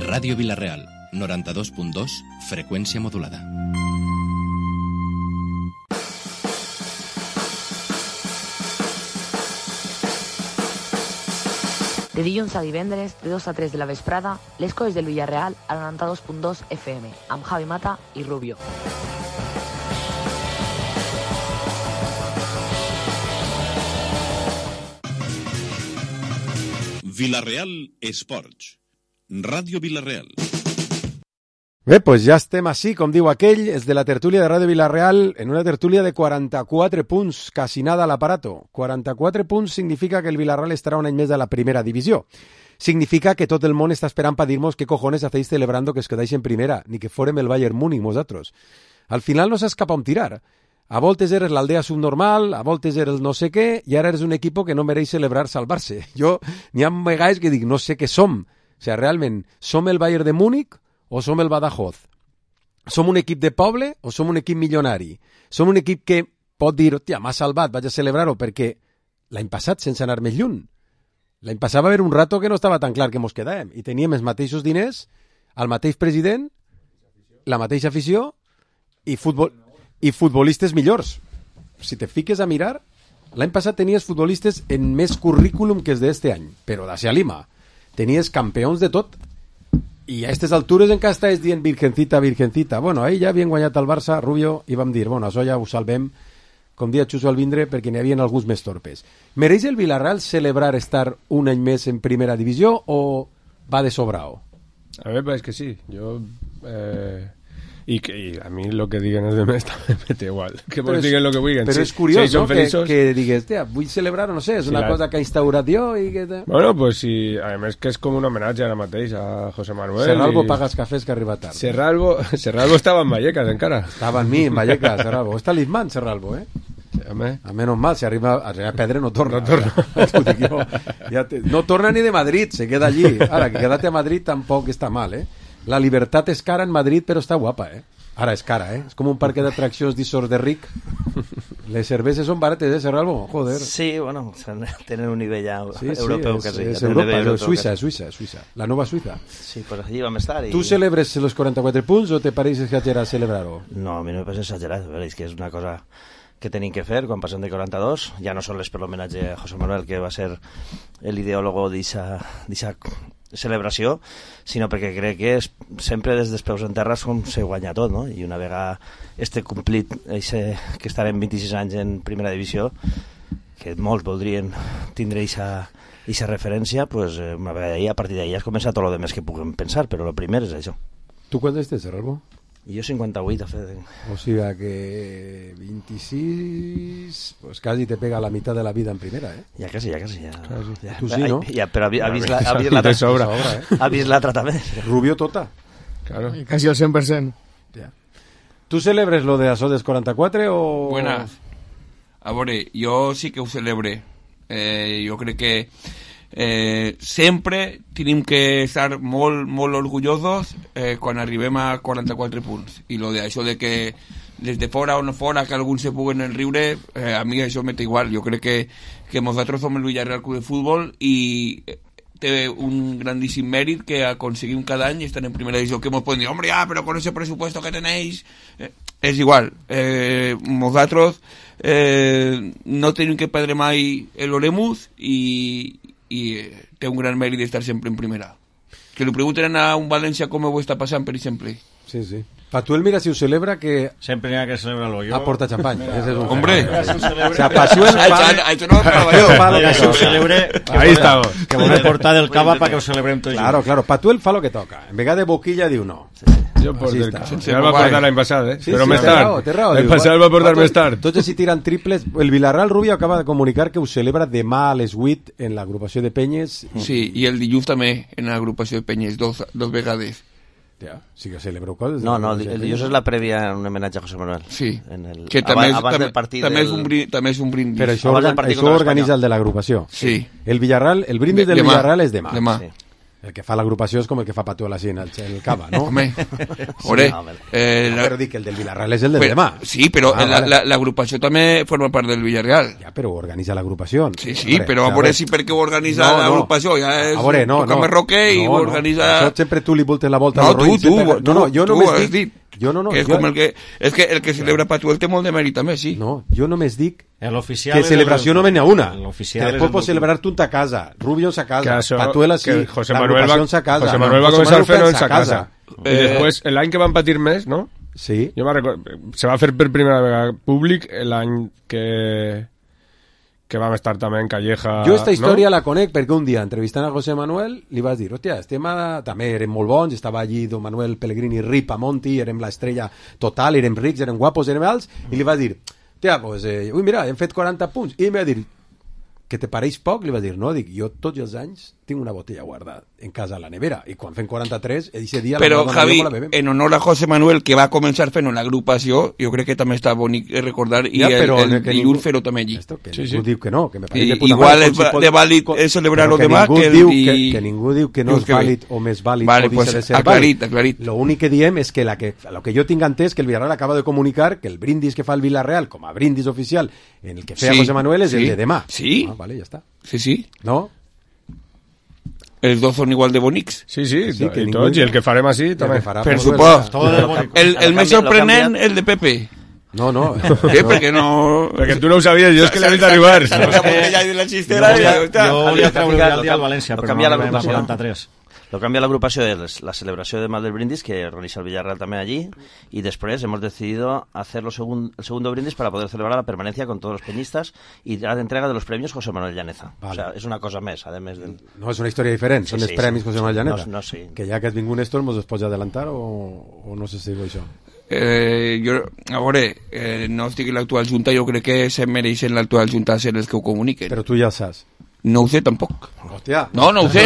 Ràdio Vila-real, 92.2, freqüència modulada. De dilluns a divendres, de 2 a 3 de la vesprada, les colles del Villarreal a 92.2 FM, amb Javi Mata i Rubio. Vila-real Esports. Ràdio Vila-real. Bé, doncs ja estem així, com diu aquell, és de la tertúlia de Ràdio Vila-real, en una tertúlia de 44 punts, casi nada a l'aparato. 44 punts significa que el Vila-real estarà un any més a la primera divisió. Significa que tot el món està esperant per dir-nos qué cojones hacéis celebrando que es quedáis en primera, ni que fórem el Bayern Múnich vosaltres. Al final no saps cap on tirar. A voltes eres l'aldea subnormal, a voltes eres no sé què, i ara eres un equip que no mereix celebrar salvar-se. Jo n'hi ha vegades que dic, no sé què som. O sigui, realment, som el Bayern de Múnich o som el Badajoz? Som un equip de poble o som un equip milionari? Som un equip que pot dir, hòstia, m'ha salvat, vaig a celebrar-ho, perquè l'any passat, sense anar més lluny, l'any passat va haver un rato que no estava tan clar que mos quedàvem, i teníem els mateixos diners, el mateix president, la mateixa afició i futbolistes millors. Si te fiques a mirar, l'any passat tenies futbolistes en més currículum que els d'este any, però d'ací a Lima. Tenies campions de tot. I a aquestes altures encara estàs dient virgencita, virgencita. Bueno, ahir ja havien guanyat el Barça, Rubio, i vam dir, bueno, això ja ho salvem, com dia Xuso al vindre, perquè n'hi havia alguns més torpes. Mereix el Villarreal celebrar estar un any més en primera divisió o va de sobrao? A ver, pues que sí. Yo... Y a mí lo que digan los demás también me da igual. Que vos digan lo que digan. Pero sí, es curioso que digas, tía, voy a celebrar, no sé, es una cosa que ha instaurat jo i que... Bueno, pues sí, además que es como un homenaje ara mateix a José Manuel. Serralbo paga els cafès que arriba tard. Serralbo estava en Vallecas encara. Estava en mi, en Vallecas, Serralbo. Està l'Isman, Serralbo, eh? A menos mal, si arriba a Pedre no torna. No torna ni de Madrid, se queda allí. Ara, que quedate a Madrid tampoc està mal, eh? La libertat és cara en Madrid, però està guapa, eh? Ara és cara, eh? És com un parc d'atraccions d'Isor de Ric. Les cerveses són barates, eh, Serralbo? Joder. Sí, bueno, tenen un nivell ja europeu quasi. És Europa, Suïssa. La nova Suïssa. Sí, pues allí vam estar. ¿Tú celebres los 44 punts o te pareix exagerat celebrar-ho? No, a mi no me pareix exagerat. És que és una cosa que tenim que fer quan passem de 42. Ja no sols per l'homenatge a José Manuel, que va ser l'ideòlogo d'eixa celebració, sinó perquè crec que sempre des dels peus en terra se guanya tot, no? I una vegada complit que estarem 26 anys en primera divisió, que molts voldrien tindre eixa referència, pues una vegada a partir d'ahí es comença tot el més que puguem pensar, però el primer és això. Tu quant estàs, Serralbo? Jo 58, o sigui que 26, pues casi te pega la mitad de la vida en primera, ¿eh? Ja quasi. Tu sí, ¿no? Ja, però ha vist l'altra també. Rubio tota. Claro. Casi el 100%. Ja. ¿Tu celebres lo de Asodes 44 o...? Buenas. A veure, jo sí que ho celebre. Jo crec que sempre tenim que estar molt orgullosos quan arribem a 44 punts, i lo de això de que des de fora o no fora que alguns se puguen riure, a mi això m'és igual. Jo crec que nosaltres som el Villarreal Club de Futbol i té un grandíssim mèrit que aconseguim cada any estar en primera divisió, que ens poden dir, hombre, però con ese presupuesto que tenéis és igual. Nosaltres no tenim que perdre mai l'Oremus i té un gran mèrit d'estar sempre en primera. Que li pregunten a un València com ho està passant, per exemple. Sí. Patuel, mira, si ho celebra, que... Sempre n'hi ha que celebrar-lo jo. Aporta xampany. Hombre. O sea, Patuel... Això no ho treballó. Que si ho celebre... Ahí estamos. Que volem portar del cava para que ho celebrem tots. Claro. Patuel fa lo que toca. En vegada de boquilla diu no. Jo el va portar l'any passat, eh? Però més tard. L'any passat el va portar més tard. Tots si tiren triples. El Villarreal Rubio acaba de comunicar que ho celebra demà a les 8 en l'agrupació de Penyes. Sí, i el dilluns també en l'agrupació de Penyes, dos vegades. Ja, sí que celebro coses. No, el dilluns és la prèvia en un homenatge a José Manuel. Sí, que també és un brindis. Però això ho organitza el de l'agrupació. Sí. El brindis del Villarreal és demà. Sí. El que fa l'agrupació és com el que fa Patuela així en el cava, no? Home, ore, Però dic que el del Villarreal és el del demà. Sí, però l'agrupació també forma part del Villarreal. Ja, però ho organitza l'agrupació. Sí, però a veure si perquè ho organitza l'agrupació, ja és toca Roque i ho organitza... Això sempre tu li voltes la volta. No, jo només dic... És que el que celebra Patuel té molt de mèrit també, sí. No, jo només dic que celebració només n'hi ha una. Que després pots celebrar tu en ta casa, Rubio en sa casa, Patuela sí, l'agrupació en sa casa. José Manuel va començar fent-ho en sa casa. I després, l'any que van patir més, no? Sí. Jo me'n recordo, se va fer per primera vegada públic l'any que vam estar també en Calleja. Jo esta història la conec perquè un dia entrevistant a José Manuel li vas dir, hòstia, també érem molt bons, estava allí Don Manuel Pellegrini, Ripa, Monti, érem l'estrella total, érem rics, érem guapos, érem alts, i li vas dir, hòstia, pues, mira, hem fet 40 punts, i em va dir, que te pareix poc? Li va dir, no, dic, jo tots els anys tinc una botella guardada en casa a la nevera, i quan fem 43, ese dia però, la Javi, en honor a José Manuel, que va començar fent l'agrupació, jo crec que també està bonic recordar, ja, i el dilluns fer-ho també allí. Ningú diu que no, que me pareix de igual és de vàlid celebrar-ho demà, que ningú diu que no és vàlid o més vàlid o deixa de ser vàlid. L'únic que diem és que lo que jo tinc entès que el Villarreal acaba de comunicar que el brindis que fa el Villarreal com a brindis oficial en el que feia José Manuel és el de demà. Sí. Vale, ja està. Sí. No? Els dos són igual de bonics. Sí, i tots, i el que farem així també. Per supost. El més sorprenent, el de Pepe. No. Què? Perquè no... Perquè tu no ho sabies, jo és que l'he vist arribar. Jo volia treure el dia al València, però no arribem a 43. Lo cambia la agrupación es la celebración de Mal del Brindis, que realiza el Villarreal también allí, y después hemos decidido hacer el segundo brindis para poder celebrar la permanencia con todos los peñistas y la entrega de los premios José Manuel Llaneza. Vale. O sea, es una cosa més, además del... No, és una història diferent, són els premis José Manuel Llaneza. No, sí. Que ja que has vingut Néstor, mos es pots adelantar o no sé si diu això? Jo, a veure, no estic en l'actual junta, jo crec que se mereixen l'actual junta ser els que ho comuniquen. Però tu ja saps. No ho sé tampoc. Hòstia. No ho sé.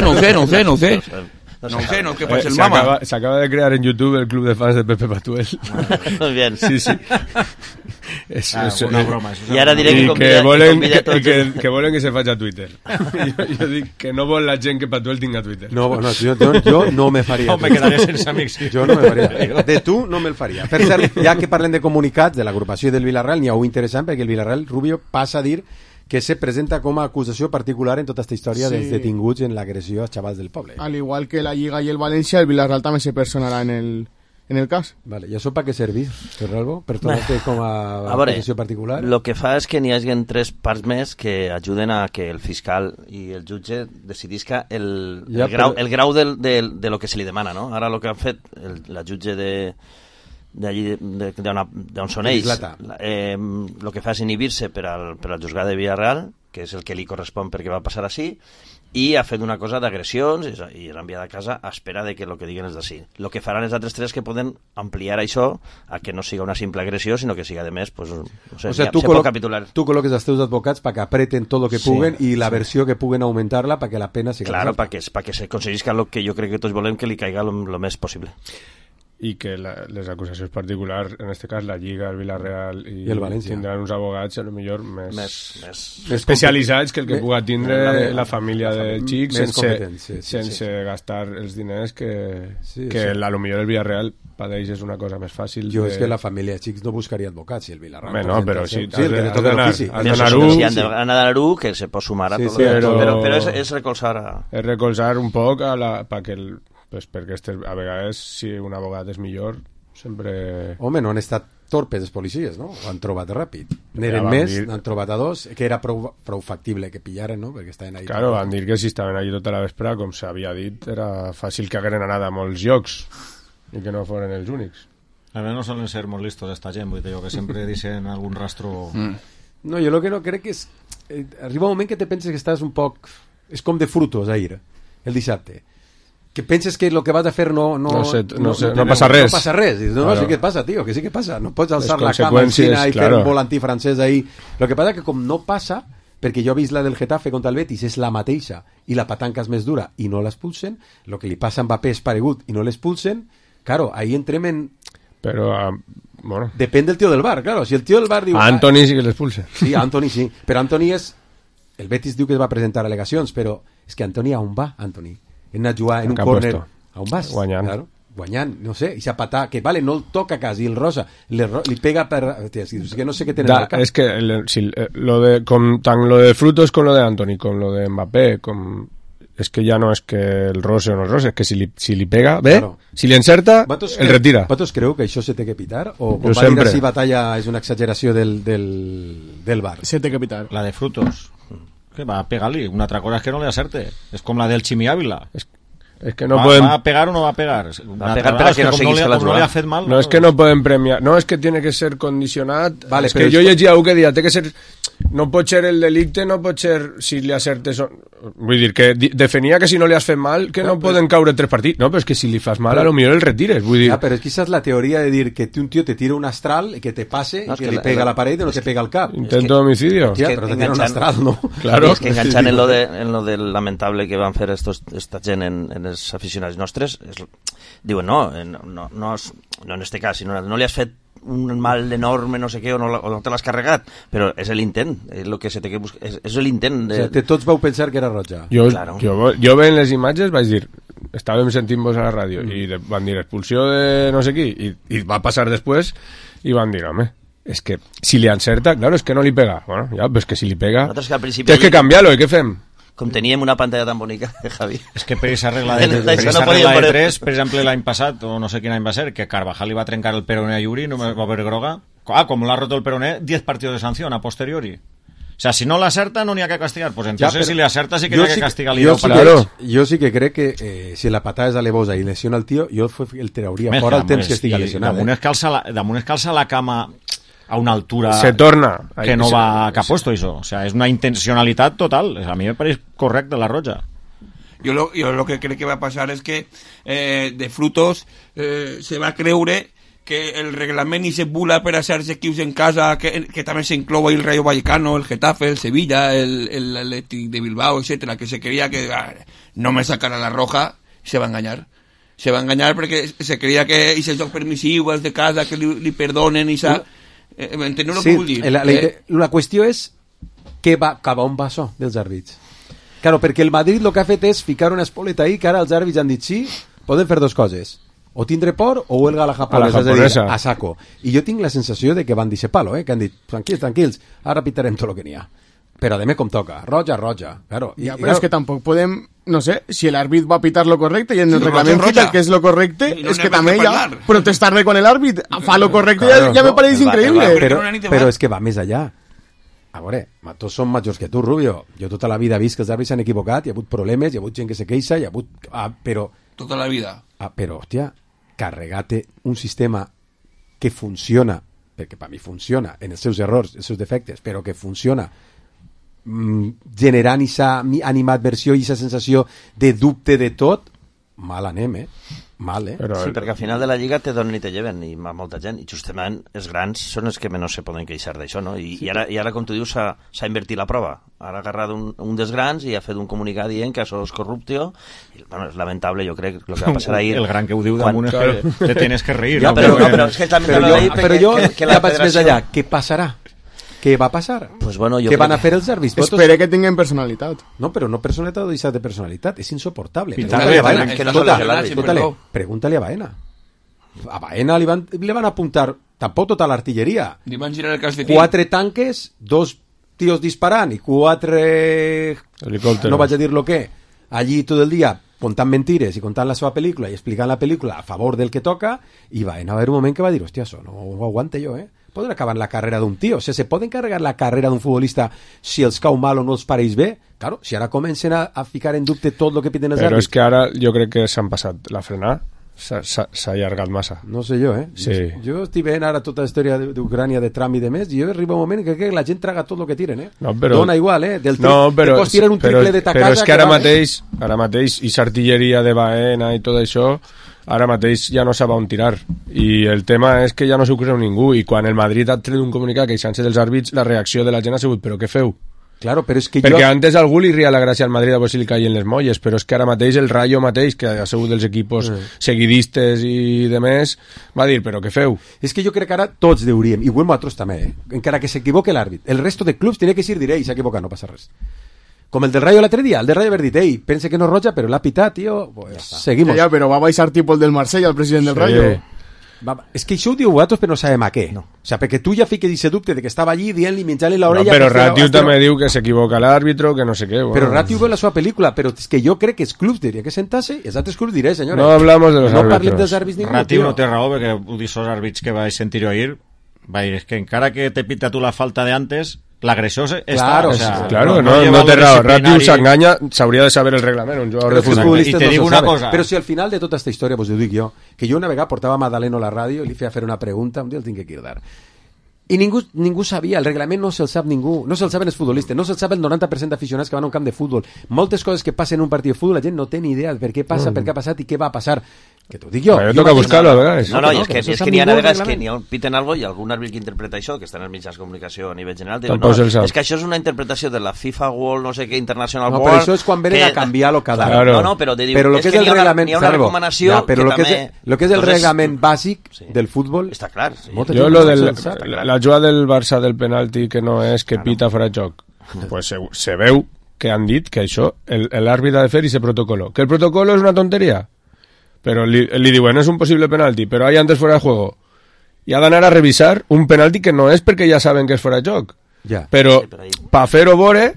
No és que faig el mama. S'acaba de crear en YouTube el club de fans de Pepe Patuel. Muy bien. Sí. És una broma. I ara diré que volen que se faci a Twitter. Jo dic que no vol la gent que Patuel tinga Twitter. No, jo no me faria. Me quedaré sense amics. Jo no me faria. De tu no me'l faria. Per cert, ja que parlem de comunicats de l'agrupació del Villarreal, n'hi ha un interessant perquè el Villarreal Rubio passa a dir que se presenta com a acusació particular en tota aquesta història dels detinguts en l'agressió als xavals del poble. Al igual que la Lliga i el València, el Villarreal també se personarà en el cas. Vale, ¿y eso para qué servís, Ferralbo? ¿Per tornar-te com a acusació particular? Lo que fa és que n'hi hagi 3 parts més que ajuden a que el fiscal i el jutge decidisca el grau de lo que se li demana, no? Ara lo que han fet la jutge d'on són ells, el que fa és inhibir-se per al juzgat de Villarreal, que és el que li correspon perquè va passar així, i ha fet una cosa d'agressions i l'ha enviat a casa a espera de que el que diguen és d'ací. El que faran els altres 3 que poden ampliar això a que no siga una simple agressió, sinó que siga de més, pues, no sé, o sea, tu col·loques els teus advocats perquè apreten tot el que puguen i la versió que puguen augmentar-la perquè la pena siga claro, perquè se aconseguisca el que jo crec que tots volem, que li caiga el més possible. I que les acusacions particulars, en aquest cas la Lliga, el Villarreal i el València tindran uns abogats a lo millor més especialitzats que el que puga tindre la família del xic sense gastar els diners que a lo millor el Villarreal padeix és una cosa més fàcil. Jo és que la família de xics no buscaria advocats si el Villarreal... No, però sí, has d'anar-ho, que se pot sumar a tot. Però és recolzar... És recolzar un poc perquè a vegades si un abogat és millor sempre... Home, no han estat torpes els policies, no? Ho han trobat ràpid. N'eren més, n'han trobat a 2, que era prou factible que pillaren, no? Perquè estaven ahí. Claro, van dir que si estaven allí tota la vespre, com s'havia dit, era fàcil que hagueren anat a molts llocs i que no foren els únics. A veure, no solen ser molt listos esta gent, vull dir que sempre deixen algun rastro... No, jo el que no crec és... arriba un moment que te penses que estàs un poc... És com de frutos, ahir, el dissabte. Que penses que lo que vas a fer no passa res. No passa res. Dius, no, sí que passa, tio, que sí que passa. No pots alçar la cama en Xina i fer un volantí francès ahí. Lo que passa que com no passa, perquè jo he vist la del Getafe contra el Betis, és la mateixa, i la patanca és més dura, i no l'expulsen, lo que li passa a Mbappé és paregut, i no l'expulsen, claro, ahí entrem en... Però, bueno... Depèn del tio del bar, claro. Si el tio del bar diu... A Antoni sí que l'expulsen. Sí, a Antoni sí. Però Antoni és... El Betis diu que es va presentar al·legacions, però és que Antoni, on va, Antoni? hem anat a jugar en un córner a un vas, guanyant, no sé, i s'apatà, que vale, no el toca quasi, el Rosa li pega per... És que no sé què tenen al cap. És que tant lo de Frutos com lo de Antoni, com lo de Mbappé, és que ja no és que el rose o no el rose, és que si li pega bé, claro. Si li encerta, el retira. Vosaltres creu que això se té que pitar? O com va dir així Batalla és una exageració del bar? Se té que pitar. La de Frutos, que va a pegar-li, una altra cosa és que no li acerte, és com la del Chimi Ávila. Es que no pueden... ¿Va a pegar o no va a pegar? Va a pegar para que no seguís la jugada. No le ha fet mal. No, es que no pueden premiar. No, es que tiene que ser condicionat. Vale, es que jo llegia algú que dia, té que ser... No pot ser el delicte, no pot ser si li acertes... Vull dir, que definia que si no li has fet mal, que no poden caure 3 partits. No, però és que si li fas mal, a lo millor el retires. Vull dir... però és que esa és la teoria de dir que un tio te tira un astral, que te passe, no, que li pega a la paret i no te pega al cap. Intento d'homicidio. Hòstia, però te tira un astral, no? Claro. És que enganxant en lo del lamentable que van fer esta gent en els aficionats nostres, diuen no en este cas, sinó no li has fet un mal enorme, no sé què, o no te l'has carregat, però és l'intent, és el que se té que buscar, és l'intent de... O sigui, tots vau pensar que era roja. Jo veient les imatges vaig dir, estàvem sentint-vos a la ràdio i van dir expulsió de no sé qui i va passar després i van dir, home, és que si li encerta, claro, és que no li pega, bueno, ja, però és que si li pega tens que canviar-lo, i què fem? Com teníem una pantalla tan bonica, Javi. És que per aquesta regla de 3, per exemple, l'any passat, o no sé quin any va ser, que Carvajal li va trencar el peroné a Yuri, no va haver groga. Com l'ha roto el peroné, 10 partidos de sanción a posteriori. O sea, si no l'acerta, no n'hi ha que castigar. Pues entonces, si li acerta, sí que n'hi ha que castigar-li. Jo sí que crec que si la patada és alevosa i lesiona el tio, jo el trauria fora el temps que estigui lesionat. Damunt es calça la cama a una altura se torna que no va cap puesto eso, o sea, es una intencionalidad total. A mí me parece correcta la roja. Yo lo que creo que va a pasar es que de Frutos se va a creure que el reglament i se bula per a certs equips en casa que també s'inclou el Rayo Vallecano, el Getafe, el Sevilla, el Athletic de Bilbao, etcétera, que se creia que no me sacara la roja, se va a engañar. Se va a engañar perquè se creia que i els jocs permissius, els de casa, que li perdonen i s'ha... Enteneu el que vull dir? La qüestió és cap on va això dels àrbits. Claro, perquè el Madrid el que ha fet és ficar una espoleta ahí que ara els àrbits han dit sí, poden fer dos coses, o tindre por o huelga a la japonesa, és a dir, a saco. I jo tinc la sensació de que van dir palo, que han dit, tranquils, ara pitarem tot el que n'hi ha. Però a com toca, roja, claro. Ja, però és que tampoc podem, no sé, si el árbitro va a pitar lo correcte i en el reglament quita que és lo correcte, és que també ja protestar-le quan l'àrbit fa lo correcte, ja me pareix increïble. Però és que va més allà. A veure, tots som majors que tu, Rubio. Jo tota la vida he vist que els àrbits s'han equivocat, hi ha hagut problemes, hi ha hagut gent que se queixa, hi ha hagut... però... Tota la vida. Però, hòstia, carregate un sistema que funciona, perquè per mi funciona, en els seus errors, els seus defectes, però que funciona generant aquesta animadversió i aquesta sensació de dubte de tot, mal anem, mal, Sí, perquè al final de la Lliga te donen i te lleven, i molta gent, i justament els grans són els que menys se poden queixar d'això, no? I ara, com tu dius, s'ha invertit la prova. Ara ha agarrat un dels grans i ha fet un comunicat dient que això és corrupció. Bueno, és lamentable, jo crec, el que va passar ahir... El gran que ho diu damunt és que te tienes que reír. Ja, però és que és lamentable ahir però jo ja vaig més allà. Què passarà? Què va passar? Pues bueno, què van a fer els àrbits? Espera que tinguin personalitat. No, però no personalitat o deixar de personalitat. És insoportable. Pregúntale a Baena. A Baena li van apuntar tampoc tota l'artilleria. Li van girar el calcetín. 4 tanques, 2 tios disparant i 4 helicòpteros. No vaig a dir lo que. Allí tot el dia contant mentires i contant la seva pel·lícula i explicant la pel·lícula a favor del que toca, i Baena va haver un moment que va dir, hòstia, això no ho aguante jo, Poden acabar la carrera d'un tio, o sigui, se poden carregar la carrera d'un futbolista si els cau mal o no els pareix bé. Claro, si ara comencen a ficar en dubte tot el que piden els àrbits. Però és que ara jo crec que s'han passat la frenada, s'ha allargat massa. No sé jo, Sí. Jo estic veient ara tota la història d'Ucrània de Trump i de més, i jo arriba un moment que crec que la gent traga tot el que tiren, No, però... Dona igual, però tiren un triple de ta casa... Però és que ara mateix, i s'artilleria de Baena i tot això, ara mateix ja no sap on tirar, i el tema és que ja no s'ho creu ningú, i quan el Madrid ha tret un comunicat queixant-se dels àrbits, la reacció de la gent ha sigut, però què feu? Claro, però és que perquè antes algú li ria la gràcia al Madrid a veure si li caien les molles, però és que ara mateix el Rayo mateix, que ha sigut dels equipos seguidistes i de més, va dir, però què feu? És que jo crec que ara tots deuríem, i nosaltres també, encara que s'equivoque l'àrbit, el resto de clubs tenia que dir, s'ha equivocat, no passa res. Com el del Rayo l'altre dia, el del Rayo haver dit, ei, pense que no és roja, però l'ha pitat, tio, pues seguimos. Ja, però va baixar tipus el del Marsella, el president del Rayo. És que això ho diu vosaltres, però no sabem a què. No. O sigui, perquè tu ja fiques aquest dubte de que estava allí dient-li, menjant-li l'orella... No, però Ratiu també diu que s'equivoca l'àrbitro, que no sé què. Bueno. Però Ratiu ve la seva pel·lícula, però és que jo crec que els clubs diria que sentar-se i els altres clubs diré, senyora. No hablamos de los árbitros. No parlem dels àrbits ningú, Ratiu no té raó, perquè ho dius els àrbits que vaig sentir jo ahir, va dir, és que encara que te pita tu la falta de antes... L'agressor claro, no té raó. Ratiu s'enganya, s'hauria de saber el reglament, un jugador de futbol. I te dic una cosa. Però si al final de tota aquesta història, vos ho dic jo, que jo una vegada portava a Madaleno a la ràdio i li feia fer una pregunta, un dia el tinc que cridar. I ningú sabia, el reglament no se'l sap ningú, no se'l saben els futbolistes, no se'l sap el 90% d'aficionats que van a un camp de futbol. Moltes coses que passen en un partit de futbol, la gent no té ni idea de per què passa, per què ha passat i què va a passar. Que t'ho dic jo. Però toca buscar-lo, a vegades. No, és que n'hi ha vegades que n'hi ha un piten algo i algun àrbit que interpreta això, que està en els mitjans de comunicació a nivell general, diu, no, és que això és una interpretació de la FIFA World, no sé què, International World... No, però això és quan venen a canviar-lo cada any. No, però te diu, és que n'hi ha una recomanació que també... Lo que és el reglament bàsic del futbol... Està clar. Jo la jugada del Barça del penalti que no és que pita fora de joc, pues se veu que han dit que això l'àrbit ha de fer i se protocolo. Que el protocolo és una tonteria, però li diuen és un possible penalti, però hay antes fuera de juego i ha d'anar a revisar un penalti que no és perquè ja saben que és fora de joc, però per fer-ho veure,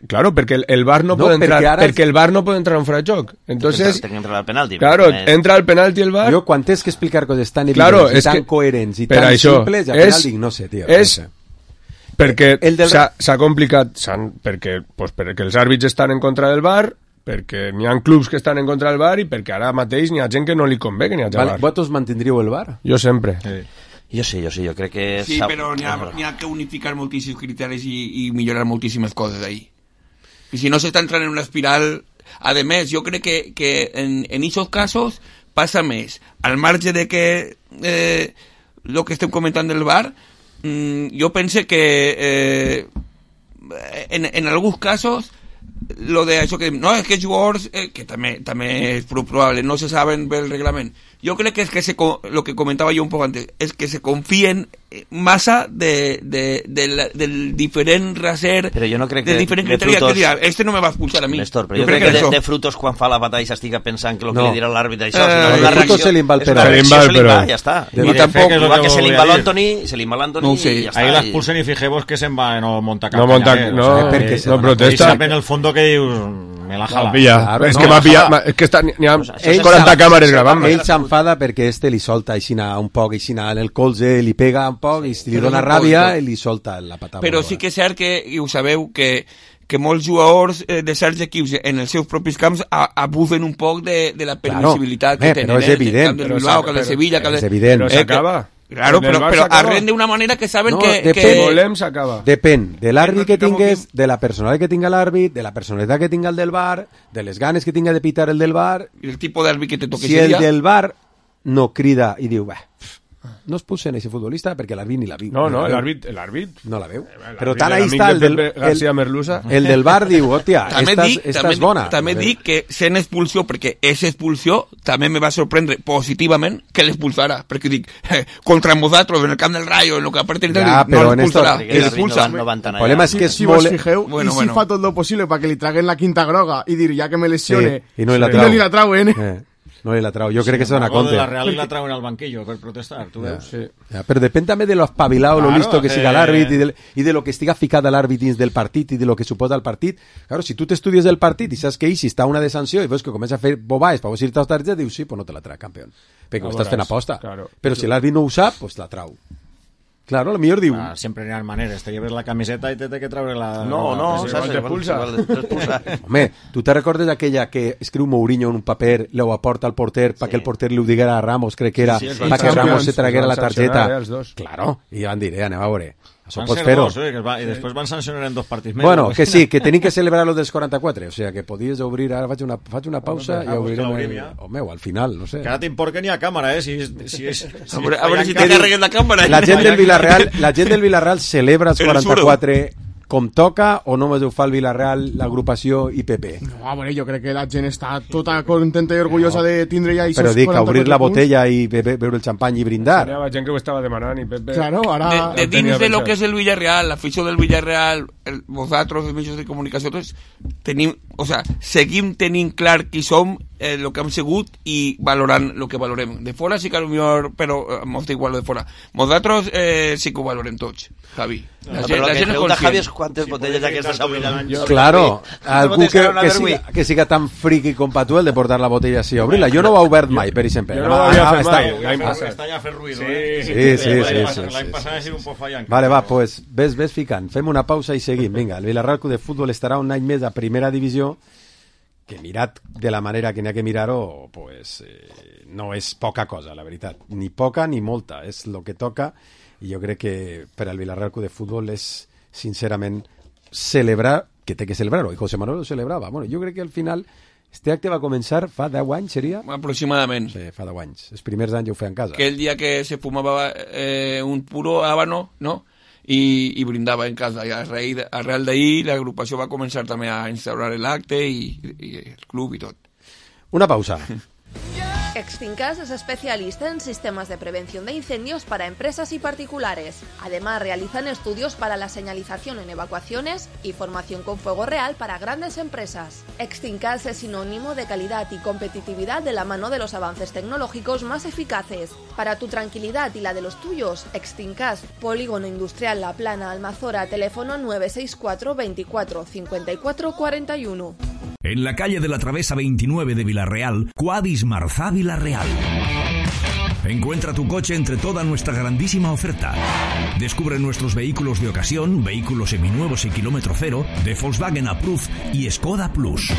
claro, perquè el VAR no pot entrar, perquè el VAR no pot entrar en fora de joc. Entonces, claro, entra el penalti el VAR. Jo quan tens que explicar coses tan evidents i tan coherents i tan simples, al final dic, no sé, tio. És perquè s'ha complicat, perquè els àrbits estan en contra del VAR, perquè n'hi ha clubs que estan en contra del VAR i perquè ara mateix n'hi ha gent que no li convé que n'hi hagi VAR. Vosaltres mantindríeu el VAR? Jo sempre. Jo sí, jo crec que... Sí, però n'hi ha que unificar moltíssims criteris i millorar moltíssimes coses ahí. I si no s'està entrant en una espiral... A més, jo crec que en aquests casos passa més. Al marge de que lo que estem comentant del VAR, jo pense que en alguns casos lo de això que no, és que els jugadors que també és probable, no se saben bé el reglament. Jo crec que és que lo que comentava jo un poc antes, és que se confien massa del diferent raser, però jo no crec del diferent criteri que dirà, este no me va expulsar a mi. Néstor, però jo crec que de Frutos quan fa la batalla s'estiga pensant que el que li dirà l'àrbitre això, de Frutos se li va el però ja està. I tampoc, igual que se li va l'Antoni i ja està. Ahí l'expulsen i fijeu-vos que se'n va no monta cap no protesta. En el fondo que dius me la jala. És que m'ha pillat, és que n'hi ha 40 càmeres gravant. Ell s'enfada perquè li solta un poc en el colze, li pega un poc i li dona ràbia i li solta la patada. Però sí que és cert que, i ho sabeu, que molts jugadors de certs equips en els seus propis camps abusen un poc de la permissibilitat que tenen. Però és evident. Que el Bilbao, que el de Sevilla... És evident. Però s'acaba. Claro, però arren d'una manera que saben que volem s'acaba. Depèn de l'àrbit que tingues, de la personalitat que tinga l'àrbit, de la personalitat que tinga el del VAR, de les ganes que tinga de pitar el del VAR... I el tipus d'àrbit que te toque. Si el del VAR no crida i diu, no es pulsen a ese futbolista perquè l'àrbit ni la viu. No, l'àrbit no la veu. Però tant ahí està el del VAR diu, hòstia, esta és bona. També dic que sent expulsió, perquè és expulsió, també me va sorprendre positivament que l'expulsara, perquè dic, contra vosaltres en el camp del Rayo, en el que aparte no l'expulsarà. El problema és que si vos fijeu, i si fa tot lo possible perquè li traguen la quinta groga i dir, ja que me lesione, i no li la trauen, no li la trau, jo crec que se dona compte. La Real la trauen al banquillo per protestar, tu veus. Però depèn també de lo espabilado, lo listo que siga l'àrbit i de lo que estiga ficat a l'àrbit dins del partit i de lo que suposa el partit. Claro, si tu t'estudies el partit i saps que si està una de sanció i veus que comença a fer bobades per ir-te als targets, dius sí, pues no te la trac, campió. Perquè ho estàs fent aposta. Però si l'àrbit no ho sap, pues la trau. Claro, lo millor diu... Sempre n'hi ha maneres, te lleves la camiseta i te que treure la... No, t'expulsa. Home, tu te recordes aquella que escriu Mourinho en un paper, lo aporta al porter perquè el porter li ho diguera a Ramos, crec que era, perquè Ramos se traguera la targeta. Claro, i van dir, anem a veure. Això pots fer-ho. I després van sancionar en 2 partits més. Bueno, que sí, que tenim que celebrar los dels 44, o sea, que podies obrir, ara faig una pausa i obrirem... Home, al final, no sé. Que ara t'import que n'hi ha càmera, A veure si te carregues la càmera. La gent del Villarreal celebra els 44 com toca o només ho fa el Villarreal, l'agrupació i PP? No, a veure, jo crec que la gent està tota contenta i orgullosa de tindre ja però dic, obrir la botella i beure el xampany i brindar. Hi havia gent que ho estava demanant i Pepe... Claro, ara... De dins de lo que és el Villarreal, l'afició del Villarreal, vosaltres, els mitjans de comunicació, tenim, o sea, seguim tenint clar qui som, el que hem sigut i valorant el que valorem. De fora sí que millor, però mos da igual de fora. Nosaltres sí que ho valorem tots, Javi. La gent és conscient. Javi és quantes botelles d'aquestes obrirà. Claro, algú que siga tan friqui com pa tu el de portar la botella així a obrir-la. Jo no ho he obert mai, per exemple. Jo no ho havia fet mai. Està ja fent ruïdo, Sí. L'any passat ha sigut un poc fallant. Vale, va, pues ves ficant. Fem una pausa i seguim. Vinga, el Villarreal Club de Futbol estarà un any més a primera divisió, que mirat de la manera que n'hi ha que mirar-ho, pues, no és poca cosa, la veritat. Ni poca ni molta, és el que toca, i jo crec que per al Villarreal Club de Futbol és, sincerament, celebrar, que té que celebrar-ho, i José Manuel ho celebrava. Bueno, jo crec que al final, este acte va començar fa 10 anys, seria? Aproximadament. Sí, fa 10 anys. Els primers anys ho feien a casa. Que el dia que se fumava un puro habano, no?, i brindava en casa. I arrel d'ahir l'agrupació va començar també a instaurar l'acte i el club i tot. Una pausa. Extincas es especialista en sistemas de prevención de incendios para empresas y particulares. Además, realizan estudios para la señalización en evacuaciones y formación con fuego real para grandes empresas. Extincas es sinónimo de calidad y competitividad de la mano de los avances tecnológicos más eficaces. Para tu tranquilidad y la de los tuyos, Extincas, Polígono Industrial La Plana, Almazora, teléfono 964 24 54 41. En la calle de la Travesa 29 de Villarreal, Quadis Marzá Villarreal. Encuentra tu coche entre toda nuestra grandísima oferta. Descubre nuestros vehículos de ocasión, vehículos seminuevos y kilómetro cero, de Volkswagen Approved y Skoda Plus.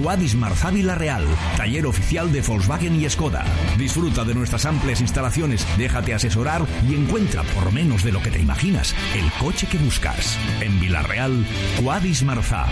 Quadis Marzá Villarreal, taller oficial de Volkswagen y Skoda. Disfruta de nuestras amplias instalaciones, déjate asesorar y encuentra por menos de lo que te imaginas el coche que buscas. En Villarreal, Quadis Marzá.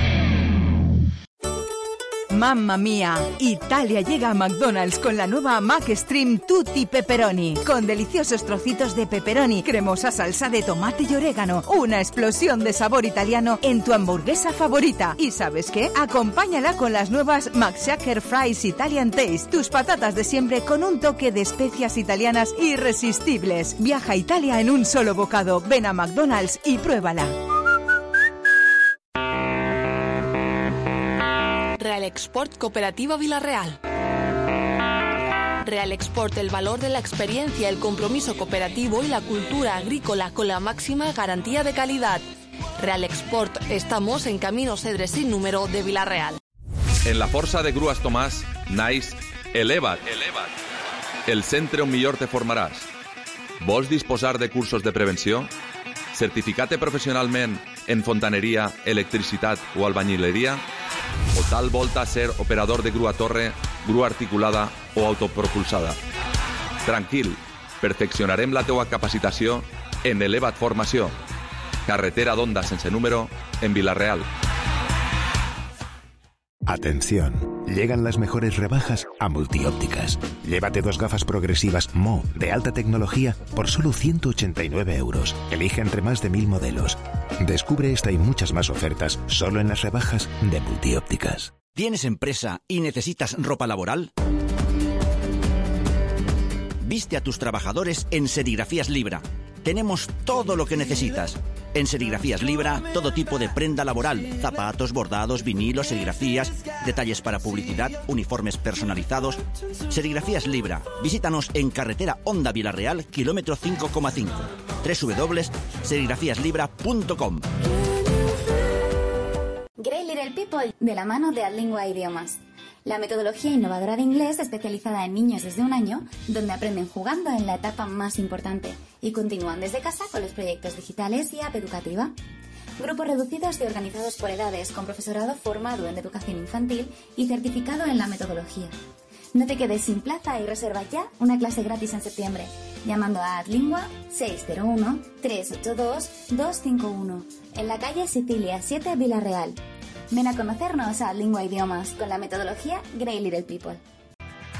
¡Mamma mía! Italia llega a McDonald's con la nueva McStream Tutti Pepperoni, con deliciosos trocitos de pepperoni, cremosa salsa de tomate y orégano, una explosión de sabor italiano en tu hamburguesa favorita. ¿Y sabes qué? Acompáñala con las nuevas McShaker Fries Italian Taste, tus patatas de siempre con un toque de especias italianas irresistibles. Viaja a Italia en un solo bocado. Ven a McDonald's y pruébala. Real Export Cooperativa Villarreal. Real Export, el valor de la experiencia, el compromiso cooperativo y la cultura agrícola con la máxima garantía de calidad. Real Export, estamos en Camino Cedres sin número de Villarreal. En la força de Grues Tomàs, naix Eleva't. El centre on millor te formaràs. Vols disposar de cursos de prevenció? Certificar-te professionalment en fontaneria, electricitat o albañileria? O tal volta ser operador de grua torre, grua articulada o autopropulsada? Tranquil, perfeccionarem la teua capacitació en Eleva't Formació. Carretera d'Onda sense número en Villarreal. Atención, llegan las mejores rebajas a Multiópticas. Llévate 2 gafas progresivas Mo de alta tecnología por solo 189 euros. Elige entre más de 1000 modelos. Descubre esta y muchas más ofertas solo en las rebajas de Multiópticas. ¿Tienes empresa y necesitas ropa laboral? Viste a tus trabajadores en Serigrafías Libra. Tenemos todo lo que necesitas. En Serigrafías Libra, todo tipo de prenda laboral, zapatos, bordados, vinilos, serigrafías, detalles para publicidad, uniformes personalizados. Serigrafías Libra. Visítanos en carretera Onda Villarreal, kilómetro 5,5. www.serigrafiaslibra.com. Great Little People, de la mano de Adlingua Idiomas. La metodología innovadora de inglés especializada en niños desde 1 año, donde aprenden jugando en la etapa más importante y continúan desde casa con los proyectos digitales y app educativa. Grupos reducidos y organizados por edades, con profesorado formado en educación infantil y certificado en la metodología. No te quedes sin plaza y reserva ya una clase gratis en septiembre, llamando a Adlingua 601-382-251, en la calle Sicilia 7, Villarreal. Ven a conocernos a Adlingua Idiomas con la metodología Great Little People.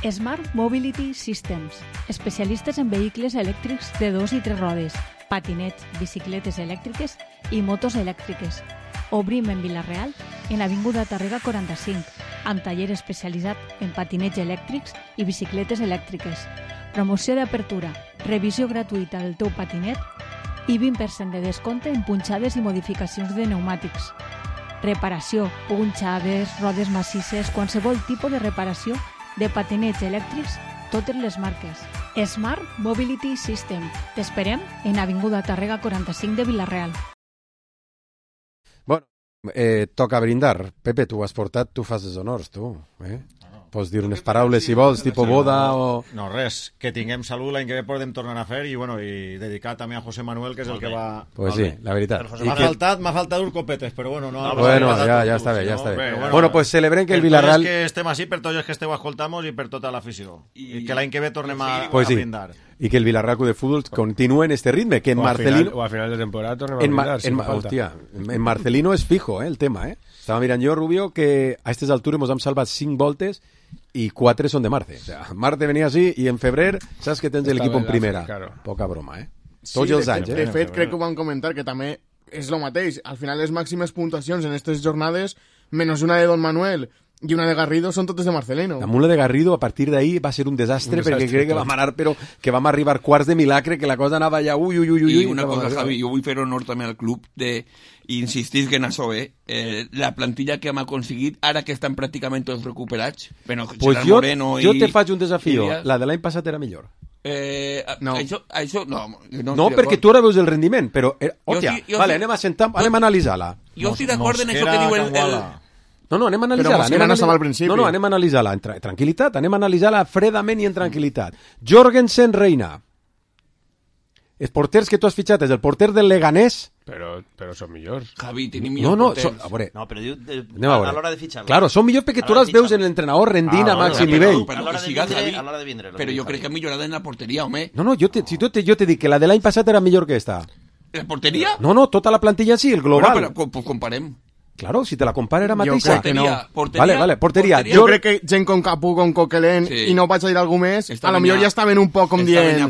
Smart Mobility Systems, especialistes en vehicles elèctrics de 2 i 3 rodes, patinets, bicicletes elèctriques i motos elèctriques. Obrim en Vila-real, en Avinguda Tàrrega 45, amb taller especialitzat en patinets elèctrics i bicicletes elèctriques. Promoció d'apertura, revisió gratuïta del teu patinet i 20% de descompte en punxades i modificacions de pneumàtics. Reparació, punxades, rodes massisses, qualsevol tipus de reparació de patinets elèctrics, totes les marques. Smart Mobility System. T'esperem en Avinguda Tàrrega 45 de Vila-real. Bueno, toca brindar. Pepe, tu has portat, tu fas els honors, tu. Pots dir unes paraules, si vols, tipus boda o... No, res, que tinguem salut, l'any que ve podem tornar a fer i, bueno, i dedicar també a José Manuel, que és el que va... Pues sí, la veritat. M'ha faltat uns copetes, però bueno... No, bueno, ja està bé, ja està bé. Bueno, pues celebrem que el Villarreal... Que estem així, per tots els que esteu escoltamos i per tota l'afició. I que l'any que ve tornem a brindar. I que el Villarreal Club de Fútbol continúe en este ritme, que en Marcelino... O a final de temporada tornem a brindar, hòstia, en Marcelino és fijo, el tema, Estava mirant jo, Rubio, que a aquestes altures ens hem salvat 5 voltes i 4 són de Marte. O sea, Marte venia així i en febrer saps que tens l'equip en primera. Claro. Poca broma, Tots els anys, De fet, crec que ho vam comentar, que també és el mateix. Al final, les màximes puntuacions en aquestes jornades, menys una de Don Manuel i una de Garrido, són totes de Marcelino. La mula de Garrido, a partir d'ahir, va ser un desastre perquè crec que vam anar, però que vam arribar quarts de milagre, que la cosa anava ja ui. I una cosa, Javi, jo vull fer honor també al club de insistir que en això, la plantilla que hem aconseguit, ara que estan pràcticament tots recuperats, bueno, pues jo te faig un desafío, la de l'any passat era millor. No. Això no. No, perquè tu ara veus el rendiment, però... Vale, anem a sentar, anem a analitzar-la. Jo estic d'acord en això que diu el... No, anem a analitzar-la. Anem a analitzar-la en tranquil·litat, anem a analitzar-la fredament i en tranquil·litat. Jorgensen Reina. Els porters que tu has fitxat és el porter del Leganés. Però són millors. Javi, tenim millors porters. No, però diu a l'hora de fitxar-la. Claro, són millors perquè tu les veus en l'entrenador rendint a màxim nivell. A l'hora de vindre. Però jo crec que ha millorat en la porteria, home. No, jo te dic que la de l'any passat era millor que esta. ¿La porteria? No, tota la plantilla sí, el global. Bueno, però pues comparem. Claro, si te la compara era mateixa. Porteria. Vale, porteria. Jo crec que gent com Capú, com Coquelin, i no vaig a dir algú més, a lo millor ja estaven un poc com dient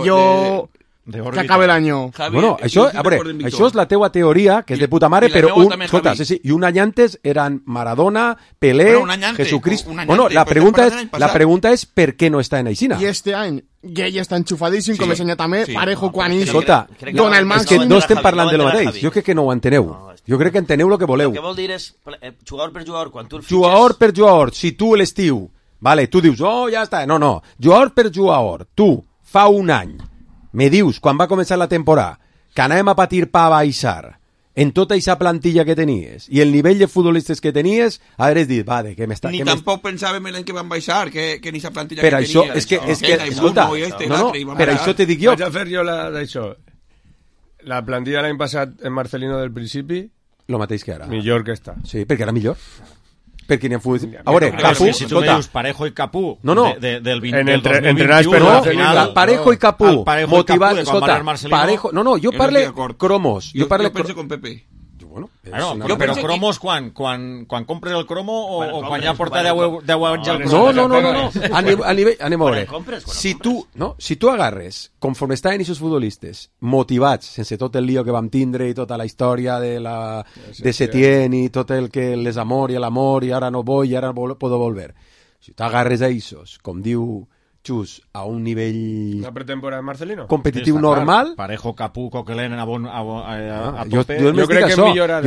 jo... que acabe l'any. Bueno, això és la teua teoria, que és de puta mare, però escolta, i un any antes eren Maradona, Pelé, Jesucristo. Bueno, la pregunta és per què no està en Aixina. I este any Gay està enxufadíssim, com ensenyat també, Parejo quan escolta, dona el màxim. És que no estem parlant de lo mateix. Jo crec que no ho enteneu. Jo crec que enteneu el que voleu. El que vol dir és jugador per jugador, quan tu el fitxes... Jugador per jugador, si tu l'estiu, vale, tu dius, ja està, no, jugador per jugador, tu, fa un any, me dius, quan va començar la temporada, que anàvem a patir pa baixar en tota aquesta plantilla que tenies i el nivell de futbolistes que tenies, hagués dit, va, de què m'està... Ni tampoc pensàvem en que van baixar, que en aquesta plantilla per que això, tenia. És que, escolta, per això te dic jo. Vaig a fer jo d'això. La plantilla l'any passat en Marcelino del principi... Lo mateix que ara. Millor que està. Sí, perquè era millor. Perquè n'hi ha futbol... A veure, Capú... Si tu me dius Parejo i Capú del 2021... Parejo i Capú motivat... Escolta, Parejo... No, jo parle Cromos. Jo penso con Pepe. Bueno, però cromos quan compres el cromo o quan ja porta 10 anys al cromo? No. Anem a veure. Si tu agarres, conforme estaven aquests futbolistes, motivats, sense tot el lío que vam tindre i tota la història de Setién i tot el que les amor i l'amor i ara no vull i ara puedo volver. Si tu agarres a aquests, com diu Xus, a un nivell... La pretemporada de Marcelino? Competitiu normal... Parejo, Capú, Coquelin a tope... Jo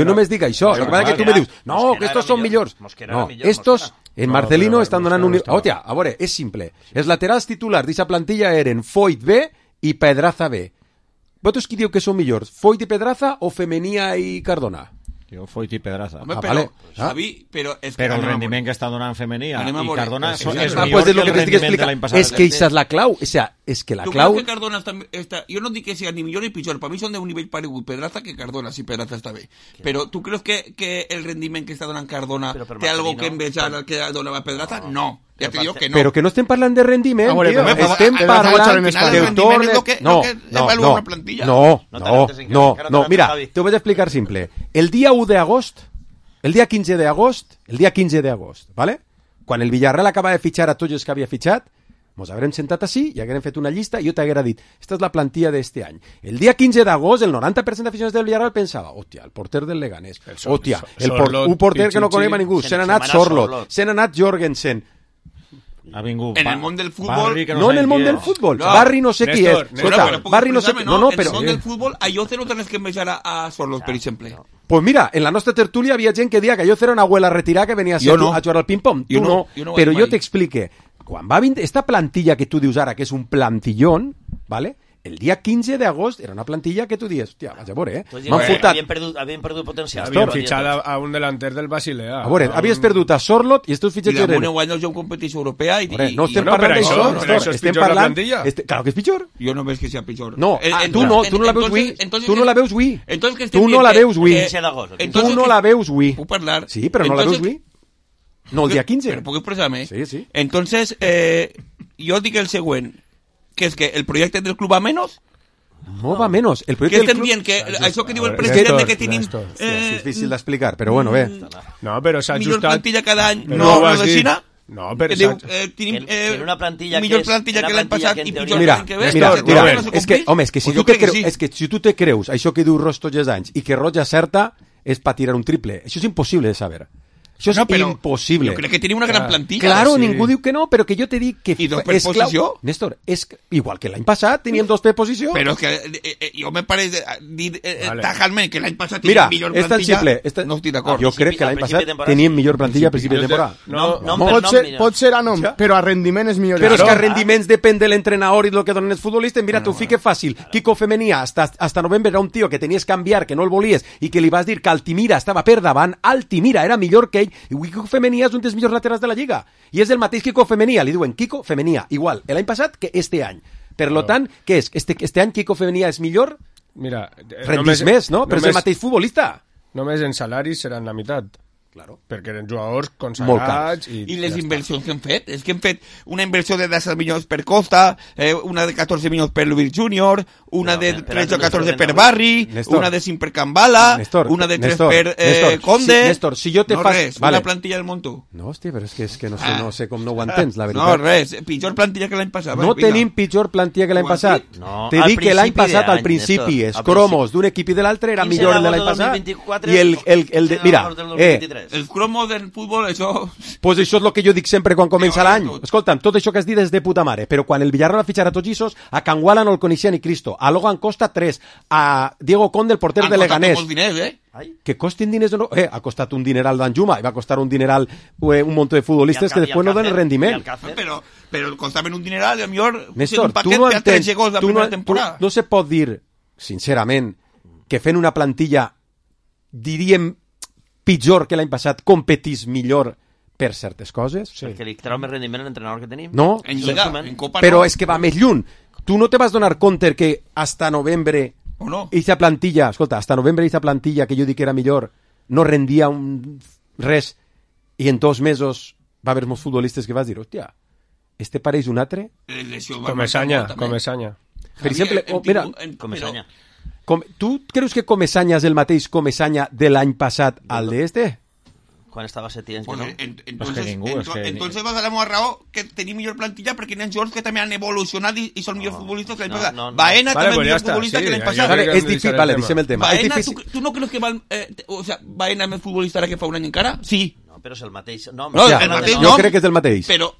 només dic això. El que passa que tu me dius, no, que estos són millors. No, estos en Marcelino estan donant un... Hòstia, a veure, és simple. Els laterals titulars d'aquesta plantilla eren Foyt B i Pedraza B. Vosaltres qui diu que són millors? Foyt i Pedraza o Femenia i Cardona? Jo Foyt i Pedraza. Home, però, Xavi, però el rendiment que està donant Femenia i Cardona és millor que el rendiment de l'any passat. És que aquesta és la clau. O sea, és que la clau... Tu creus que Cardona està... Jo no dic que sigui ni millor ni pitjor. Per mi són d'un nivell paregut Pedraza que Cardona, si Pedraza està bé. Però tu creus que el rendiment que està donant Cardona té algo que envejar al que donava Pedraza? No. Ja te digo que no. Però que no estem parlant de rendiment, tio. Estem parlant del torne... No. Mira, te ho vaig explicar simple. El dia 1 d'agost, el dia 15 d'agost, ¿vale? Quan el Villarreal acaba de fitxar a tots els que havia fitxat, Mos haurem sentat així i haguérem fet una llista i jo t'haguera dit, esta és la plantilla d'este any. El dia 15 d'agost, el 90% d'aficionats del Villarreal pensava, hòstia, el porter del Leganés, hòstia, un porter que no coneix a ningú, se n'ha anat Sorloth, se n'ha anat Jorgensen. Ha vingut en el món del futbol no en el món del futbol, Barri no sé qui és, Barri no sé qui, no, però en el món del futbol a Lloce no tens que envejar a Sorloth, per exemple. Pues mira, en la nostra tertúlia havia gent que deia que Lloce era una abuela retirada que venia a jugar al ping-pong, tu no, però jo t'explique, quan va venir esta plantilla que tu dius ara que és un plantillón, ¿vale? El dia 15 d'agost era una plantilla que tu dius, hòstia, vaig a veure, m'han fotat. Havien perdut potencial. Havien fitxat a un delanter del Basilea. A veure, havies perdut a Sorloth i estos fitxatges eren... I damunt guany jo en competició europea i... No estem parlant d'això, estem parlant... Claro que és pitjor. Jo no veig que sigui pitjor. No, tu no la veus avui. Tu no la veus avui. Tu no la veus avui. Tu no la veus avui. Puc parlar? Sí, però no la veus avui. No, el dia 15. Però puc expressar-me? Sí. Entonces, jo dic el següent, que és que el projecte del club va menos... No va menos. El que estem dient que això que diu el president que tenim... És difícil d'explicar, però bueno, bé. No, però s'ha ajustat... Millor plantilla cada any, no de Xina? No, però tenim una plantilla millor plantilla que l'any passat i pitjor mira, que ve. Mira, és que, home, és que si tu te creus això que diu Ros tots els anys i que Roig acerta és per tirar un triple. Això és impossible de saber. Això és impossible. Jo crec que tenim una gran plantilla. Claro, ningú diu que no, però que jo te dic que és clau. Néstor, és igual que l'any passat teníem 2 per posició. Però és que jo me pareix dir tajantment que l'any passat teníem millor plantilla. No estic d'acord. Jo crec que l'any passat teníem millor plantilla a principi de temporada. Pot ser a nom, però a rendiment és millor. Però és que a rendiments depèn de l'entrenador i del que donen els futbolistes. Mira, t'ho fique fàcil. Quico Femenia, hasta novembre era un tio que tenies que canviar, que no el volies, i que li vas dir que Altimira estava per davant. Altimira era millor que ell. I Quico Femenia és un dels millors laterals de la Lliga i és el mateix Quico Femenia, li diuen Quico Femenia igual l'any passat que este any, per lo tant, què és? Este any Quico Femenia és millor? Mira, rendís més, no? Però és el mateix futbolista. Només en salaris seran la meitat. Claro. Perquè eren jugadors consagrats i les inversions que hem fet és que hem fet una inversió de 10 milions per Costa, una de 14 milions per Lubir Júnior, una de 13 o 14 per Barri, una de 5 per Cambala, una de 3 per Conde. Néstor, si jo te fas... res, una plantilla del Montó. No, hòstia, però és que no sé com no ho entens, la veritat. No, res, pitjor plantilla que l'any passat. No tenim pitjor plantilla que l'any passat. Te dic que l'any passat, al principi, els cromos d'un equip i de l'altre era millor el de l'any passat. I el de... Mira, el cromo del futbol, això... Pues això és el que jo dic sempre quan comença l'any. Escolta'm, tot això que has dit és de puta mare, però quan el Villarreal va fitxar a tots aquests, a Canguala no el coneixia ni Cristo, a Logan Costa 3, a Diego Conde, el porter de Leganés. Han costat molts diners, Que costin diners o no... ha costat un dineral d'Anjuma, i va costar un dineral un munt de futbolistes que després no donen rendiment. Però costaven un dineral, i a millor... Néstor, tu no entens... No se pot dir, sincerament, que fent una plantilla, diríem, pitjor que l'any passat, competís millor per certes coses. Perquè li trau més rendiment a l'entrenador que tenim. No, en Lliga, en Copa però és que va més lluny. Tu no te vas donar compte que hasta novembre aquesta plantilla, escolta, hasta novembre aquesta plantilla que jo dic que era millor, no rendia res, i en 2 mesos va haver molts futbolistes que vas dir, hòstia, este pareix un altre? Comesaña. Per exemple, mira, Comesaña. Tu creus que Comesaña és el mateix Comesaña de l'any passat al d'este? Quan estava 7 anys, pues no? Entonces vas a la meva raó que tenim millor plantilla perquè n'hi ha jugadors que també han evolucionat i són millors futbolistes que l'any passat. Baena també és millor futbolista que l'any passat. És difícil, vale, deixem el tema. Baena, tu no creus que Baena és més futbolista ara que fa un any encara? Sí. No, però és el mateix nom. Jo crec que és el mateix. Però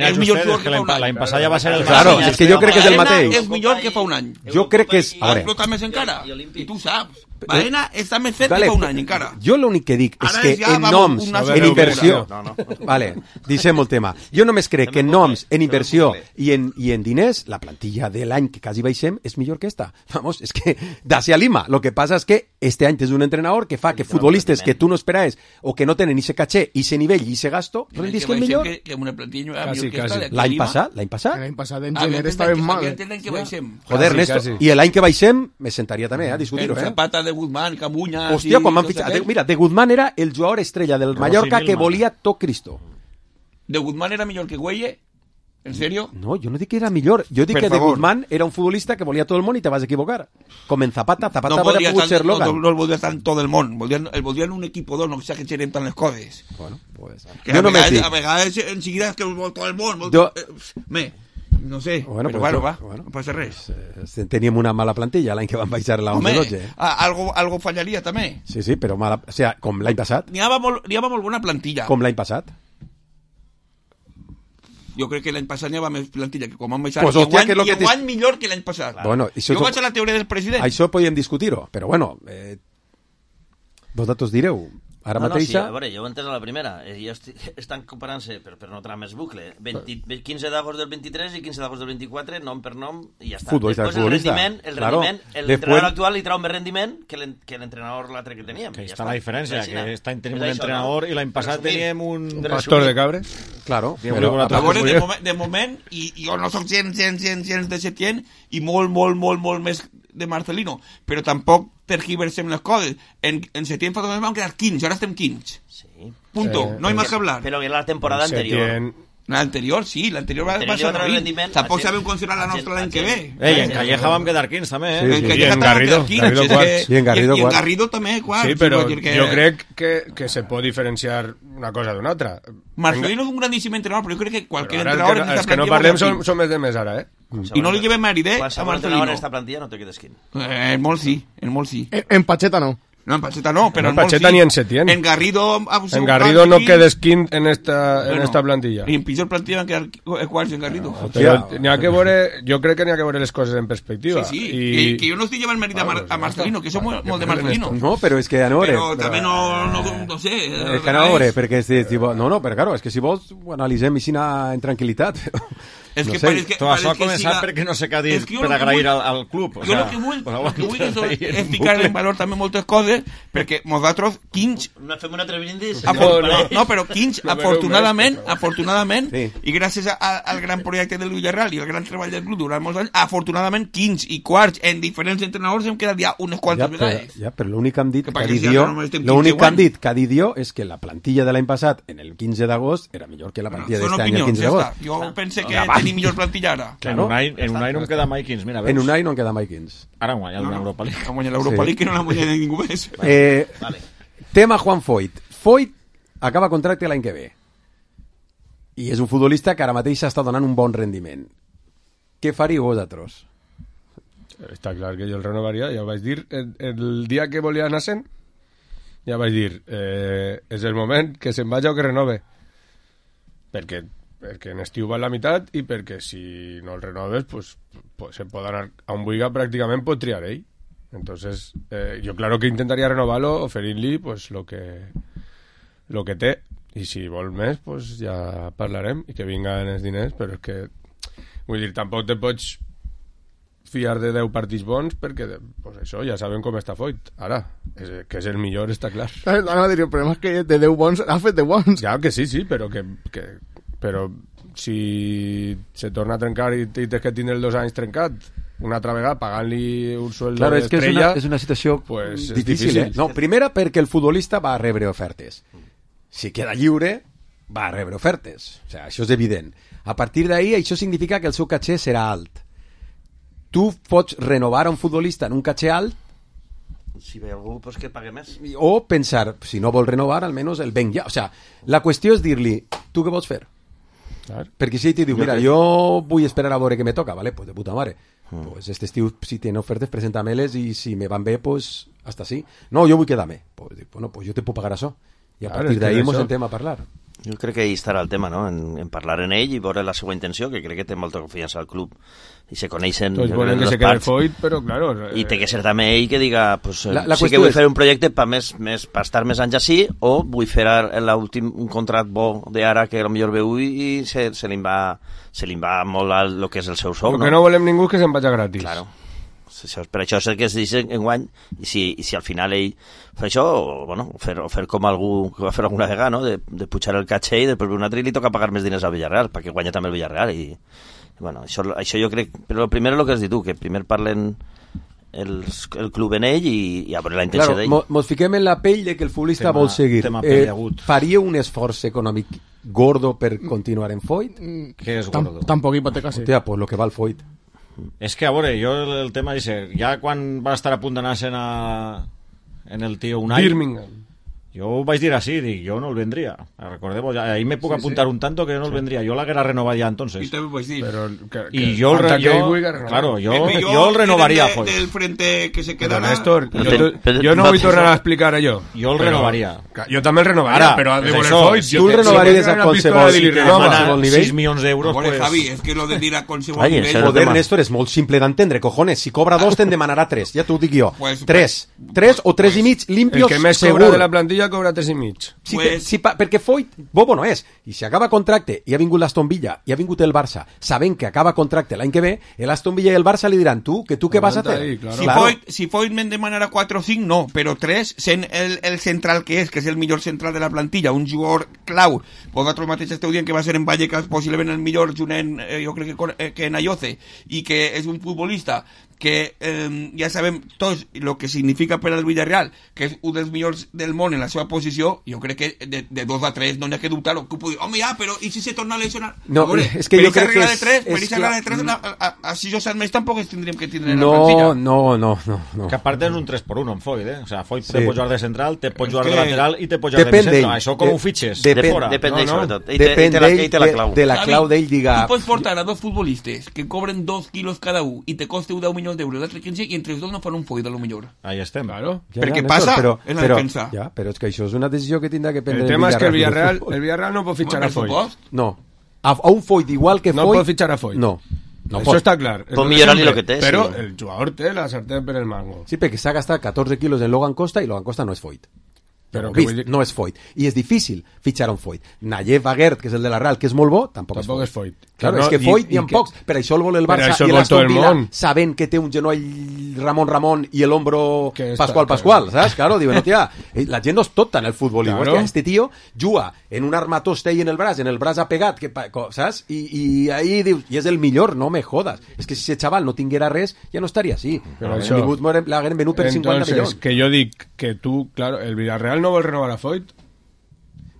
és millor que l'any passat ja va ser el Claro, és que jo crec que és el mateix. És millor que fa un any. Jo crec que és... Ha explotat més encara. I tu saps. Baena està més fet que fa un any encara. Jo l'únic que dic és que en noms, en inversió... Vale, deixem el tema. Jo només crec que en noms, en inversió i en diners, la plantilla de l'any que quasi baixem és millor que esta. Vamos, és que d'ací a Lima. Lo que passa és que este any tens un entrenador que fa que futbolistes que tu no esperaves o que no tenen ese caché, ese nivell i ese gasto, rendisquen millor. L'any passat? L'any passat en gener estàvem mal. Joder, Néstor, i l'any que baixem me sentaria també a discutir-ho. Zapata de Guzmán, Camuña... Hòstia, quan m'han fitxat... Mira, de Guzmán era el jugador estrella del Mallorca que volia tot Cristo. ¿De Guzmán era millor que Güelle? ¿En serio? No, jo no dic que era millor. Jo dic que de Guzmán era un futbolista que volia tot el món i te vas equivocar. Com en Zapata. Zapata hauria pogut ser Logan. No el volia tant tot el món. El volia en un equip o dos, no s'exageren tant les coses. Bueno, pues... A vegades en seguida és que el vol tot el món. no sé, bueno, però bueno, no passa res. Teníem una mala plantilla l'any que van baixar la 11-12. Algo fallaria també. Sí, però mala, o sea, com l'any passat. N'hi havia molt bona plantilla. Com l'any passat. Jo crec que l'any passat n'hi havia més plantilla que com han baixat. Pues, hòstia, que guany millor que l'any passat. Bueno, jo vaig a la teoria del president. Això podíem discutir-ho, però bueno, vosaltres direu. Ara mateixa... Sí, a veure, jo ho he entès a la primera. Estan comparant-se, per no entrar més bucle, 15 d'agost del 23 i 15 d'agost del 24, nom per nom, i ja està. Després el rendiment, l'entrenador actual li trau més rendiment que l'entrenador l'altre que teníem. Que està la diferència, que aquest any tenim un entrenador i l'any passat teníem un... pastor de cabres. Claro. A veure, de moment, i jo no soc gens de Setién, i molt més de Marcelino, però tampoc tergiversem les coses. En Setién fa 2 mesos vam quedar 15, ara estem 15. Sí. Punto, no hay más que hablar. Però era la temporada anterior. L'anterior, sí, l'anterior va ser rendiment. Tampoc sabem considerar la nostra l'any que ve. En Calleja vam quedar 15 també, I en Garrido 4. I en Garrido també 4. Sí, però jo crec que se pot diferenciar una cosa d'una altra. Marcelino és un grandíssim entrenador, però jo crec que qualsevol entrenador... Els que no parlem som els de més ara, I no li llevem mèrit, a Marcelino. En esta plantilla no te quedes quin. En molt sí. En Pacheta no. No, en Pacheta no, pero en Pacheta ni en Setién. En Garrido... En Garrido no quedes quint en esta plantilla. I en pitjor plantilla van quedar quarts en Garrido. Jo crec que n'hi ha que veure les coses en perspectiva. Sí. Que jo no estic llevant mèrit a Marcelino, que som molt de Marcelino. No, però és que a veure... Però també no sé... És que a veure, perquè... No, però claro, és que si vols ho analitzem així en tranquil·litat. És que pareix que això ha començat perquè no sé què ha dit per agrair al club. Jo el que vull és ficar en valor també moltes coses, perquè nosaltres, 15... No fem una tremendis. No, però 15, afortunadament, i gràcies al gran projecte del Villarreal i al gran treball del club durant molts anys, afortunadament 15 i quarts en diferents entrenadors hem quedat ja unes quantes vegades. Ja, però l'únic que han dit que ha dit jo és que la plantilla de l'any passat, en el 15 d'agost, era millor que la plantilla d'este any el 15 d'agost. Jo pense que ni millor plantilla ara. En un any no em queda mai 15, mira, veus? En un any no em queda mai 15. Ara han guanyat l'Europa League. Han guanyat l'Europa League que no l'han guanyat ningú més. Tema Juan Foyt. Foyt acaba contracte l'any que ve. I és un futbolista que ara mateix està donant un bon rendiment. Què faríeu vosaltres? Està clar que jo el renovaria, ja ho vaig dir. El dia que volia anar-se'n, ja vaig dir, és el moment que se'n vagi o que renove. Perquè en estiu va a la meitat i perquè si no el renoves pues se pot anar a un Buiga, pràcticament pot triar ell. Entonces yo claro que intentaria renovarlo, oferir-li pues lo que té, i si vol més pues ja parlarem i que vinguen els diners, però és que vull dir, tampoc te pots fiar de 10 partits bons perquè pues això ja sabem com està Foyt ara, que és el millor, està clar. El problema és que de 10 bons ha fet de bons. Ja que sí, però però si se torna a trencar i tens que tindre els 2 anys trencat una altra vegada pagant-li un sueldo d'estrella, és una situació pues, difícil. No, primera perquè el futbolista va a rebre ofertes. Si queda lliure va a rebre ofertes, o sea, això és evident. A partir d'ahí això significa que el seu caché serà alt. Tu pots renovar a un futbolista en un caché alt si ve algú pues que pague més, o pensar, si no vol renovar almenys el venc ja, o sea, la qüestió és dir-li, tu què vols fer? Clar. Perquè si ell te diu, mira, jo vull esperar a veure què me toca, vale, pues de puta mare, pues este estiu si tenen ofertes presenta-me-les i si me van bé, pues hasta sí. No, jo vull quedar-me, pues, bueno, pues jo te puc pagar això i a partir d'ahí ens sentem a parlar. Jo crec que ahí estarà el tema, no? En parlar en ell i veure la seva intenció, que crec que té molta confiança al club i se coneixen tots volen que se quede Foyt, però claro, i té que ser també ell que diga pues, sí que vull fer un projecte per estar més anys així, o vull fer un contract bo d'ara que potser veu i se li va molt el que és el seu sou. El que no volem ningú que se'n vagi gratis. Claro. Per això és el que es dice enguany, i si al final ell fa això, o fer com algú que va fer alguna vegada, no? de pujar el caché i després un altre li toca pagar més diners al Villarreal perquè guanya també el Villarreal i bueno, això jo crec, però el primer és el que has dit tu, que primer parlen el club en ell i a veure la intenció d'ell. Mos fiquem en la pell de que el futbolista vol seguir. Faria un esforç econòmic gordo per continuar en Foyt? Què és gordo? Tampoc hipoteca, sí. Hòstia, pues lo que val Foyt. És que, a veure, jo el tema és ja quan va estar a punt d'anar-se'n en el tio Unai, Birmingham, Jo ho vaig dir així, dic, jo no el vendria. Recordeu, ahí me puc apuntar un tanto que no el vendria. Jo l'haguera renovat ja entonces. I també ho vaig dir. I jo el renovaria, Foyt. Del frente que se quedarà... Néstor, jo no vull tornar a explicar allò. Jo el renovaria. Jo també el renovaria, però de voler Foyt... Tu el renovaries a qualsevol nivell? 6 milions d'euros, pues... Javi, és que lo de dir a qualsevol nivell... Joder, Néstor, és molt simple d'entendre, cojones. Si cobra 2, te'n demanarà 3. Ja t'ho dic jo. 3 o 3 i mig, limpios, el que més segur. Cobra de la plantilla cobra 3 i mig. Perquè Foyt, bobo no és. I si acaba contracte i ha vingut l'Aston Villa i ha vingut el Barça, sabent que acaba contracte l'any que ve, l'Aston Villa i el Barça li diran, tu què vas a fer? Si Foyt me'n demanarà 4 o 5, no, però 3, sent el central que és el millor central de la plantilla, un jugador clau, vosaltres mateix esteu dient que va ser en Vallecas possiblement el millor junt jo crec que en Ayoce, i que és un futbolista que ja sabem tots el que significa per al Villarreal, que és un dels millors del món en la seva posició. Jo crec que de 2 a 3 no n'hi ha que dubtar-ho. Home, ja, però i si se torna a lesionar? No, és que jo crec que per aquesta regla de 3 a 6 o 7 més tampoc ens tindríem que tindre en la plantilla. No. Que a part és un 3x1 en Foyt, O sea, Foyt te pot jugar de central, te pot jugar de lateral i te pot jugar de centre. Això com ho fitxes? Depèn d'ell, sobretot. Depèn de la clau d'ell, diga... Tu pots portar a 2 futbolistes que cobren 2 quilos cada un i te coste 10 milions d'euros, l'altre 15, i entre els dos no fan un Foyt, a lo millor. Ahí estem. Claro. Perquè passa en la defensa. Ja, però és que això és una decisió que tindrà que prendre el tema és que el Villarreal no pot fitxar a Foyt. No. A un Foyt igual que Foyt... No pot fitxar a Foyt. No. Això està clar. Pot millorar-li el que té, però el jugador té la sartén per el mango. Sí, perquè s'ha gastat 14 quilos en Logan Costa i Logan Costa no és Foyt. Però no és Foyt. I és difícil fitxar un Foyt. Nayev Aguert, que és el de la Real, que és molt bo, tampoc és Foyt. Claro, és que Foyt n'hi ha pocs. Per això el vol el Barça i l'Aston Villa, sabent que té un genoll Ramon i el hombro Pascual, saps? Claro, diuen, hòstia, la gent no és tota en el futbol. Hòstia, este tío juga en un armatoste i en el braç ha pegat, saps? I ahí dius, i és el millor, no me jodas. És que si ese chaval no tinguera res, ja no estaria així. Però això... L'hagueren venut per 50 milions. Que jo dic que tu, claro, el Villarreal no vol renovar a Foyt.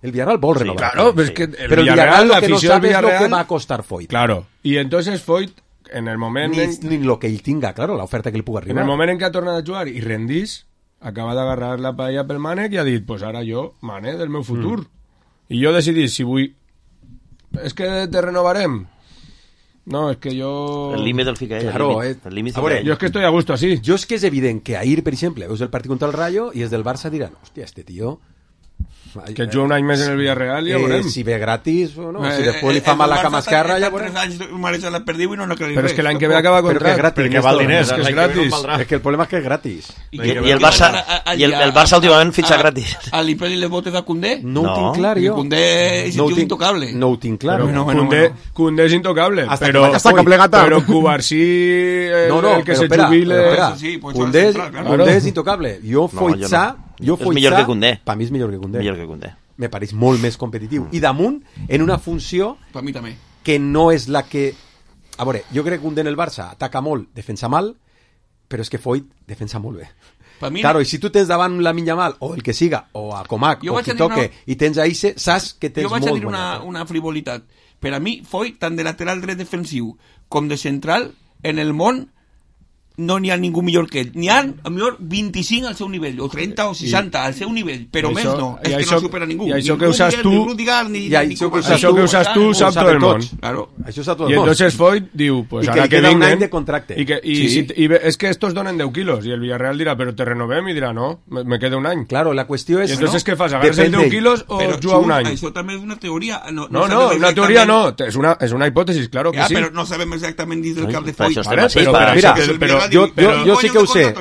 El Villarreal vol renovar. Claro, pero es que el Villarreal lo que no sabe es lo que va a costar Foyt. Claro, y entonces Foyt, en el moment... Ni lo que ell tinga, claro, l'oferta que li puga arribar. En el moment en què ha tornat a jugar i rendís, acaba d'agarrar la paella pel Mànec i ha dit, pues ara jo, Mané, del meu futur. I jo decidís si vull... És que te renovarem. No, es que yo... El límit del fica ell. Claro, yo es que estoy a gusto así. Yo es que es evidente que Air, per exemple, veus el partit contra el Rayo i és del Barça diran, hòstia, este tío... Que juga un any més en el Villarreal, ja veurem. Si ve gratis o no, si després li fa mal la cama esquerra, ja veurem. 3 anys mareja la perdiu i no n'ha Però és que l'any que ve acaba contracte. Perquè val diners, és gratis. És que el problema és que és gratis. I el Barça últimament fitxa gratis. A l'Ipeli le votes a Koundé? No ho tinc clar, jo. Koundé és intocable. No ho tinc clar. Koundé és intocable. Però Cubarsí, el que se jubile... Koundé és intocable. Jo Foyt és millor que Koundé. Per mi és millor que Koundé. Millor que Koundé. Me pareix molt més competitiu. I damunt, en una funció per mi també. Que no és la que... A veure, jo crec que Koundé en el Barça ataca molt, defensa mal, però és que Foyt defensa molt bé. Claro, i si tu tens davant la Minyamal, o el que siga, o a Comac, o qui toque, i tens a Isse, saps que tens molt... Jo vaig a dir una frivolitat. Per a mi, Foyt, tant de lateral dret defensiu com de central, en el món no n'hi ha ningú millor que ell. N'hi ha, a millor, 25 al seu nivell, o 30 o 60 al seu nivell, però més no. És que no supera ningú. I això que usas tu... Això que usas tu sap tot el món. Claro. Això sap tot el món. I entonces Foyt diu, pues ara que vinguen... un any de contracte. I es que estos donen 10 quilos, i el Villarreal dirà, però te renovem, i dirà, no, me queda un any. Claro, la qüestió és... I entonces què fas, agarres el 10 quilos o juga un any? Això també és una teoria. No, una teoria no, és una hipòtesis, claro que sí. Però no sabem exactament dins del cap de Foyt. Mira, jo sí que ho sé.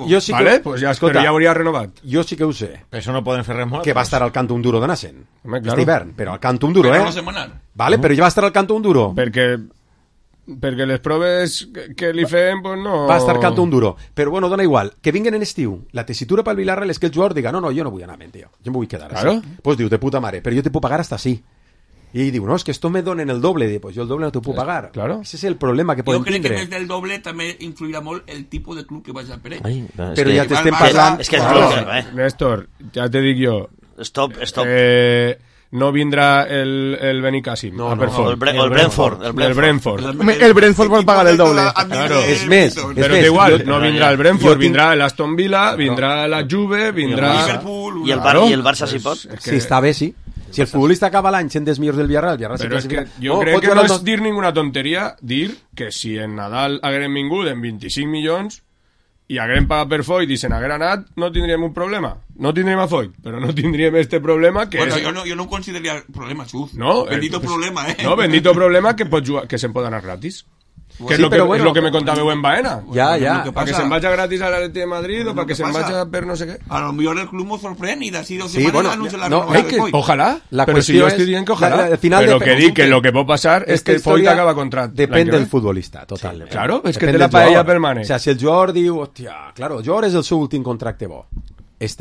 Jo sí que... Vale, pues ja, però ja hauria renovat. Jo sí que ho sé. Per això no poden fer res molt. Que va estar al Canto Unduro de Nassen. Este hivern, però al Canto Unduro, Però no setmanal. Vale, però ja va estar al Canto Unduro. Perquè les proves que li fem, pues no... Va estar Canto Unduro. Però bueno, dona igual. Que vinguen en estiu. La tessitura pel Villarreal és que el jugador diga, no, jo no vull anar, tío. Jo em vull quedar. Claro. Pues diu, de puta mare, però jo te puc pagar hasta así. Y digo, no, es que esto me donen el doble. Pues yo el doble no te puedo pagar. Claro. Ese es el problema que pueden tener. Yo creo que desde el doble también influirá molt el tipo de club que vaya a Pérez. Pero ya te estén pasando... Néstor, ya te digo yo. Stop. no vindrà el Benicàssim. No, el Brentford. El Brentford pot pagar el doble. Claro. És més. Però igual, no vindrà el Brentford, vindrà el Aston Villa, vindrà la Juve, vindrà... I el Barça si pot. Si està bé, sí. Si el futbolista acaba l'any sent dels millors del Villarreal, però és que jo crec que no és dir ninguna tonteria dir que si en Nadal haguérem vingut en 25 milions i haguérem pagat per Foyt i se n'haguera anat, no tindríem un problema. No tindríem a Foyt, però no tindríem este problema que bueno, és... jo no ho consideraria problema, Xuf. No, bendito problema, No, bendito problema que pot jugar, que se'n pot anar gratis. Que sí, és lo que me contàveu en Baena. Ja. Perquè se'n vagi gratis a l'Atleti de Madrid o perquè se'n vagi per no sé què. A lo millor el club m'ho sorprèn i d'ací 2 setmanes anuncia la renovació de Foyt. Ojalá, però si jo estic dient que ojalá. Però que dic que lo que pot passar és que Foyt acaba contrat. Depèn del futbolista, total. Claro, és que té la paella permanent. O sea, si el jugador diu, hòstia, claro, el jugador és el seu últim contracte bo. És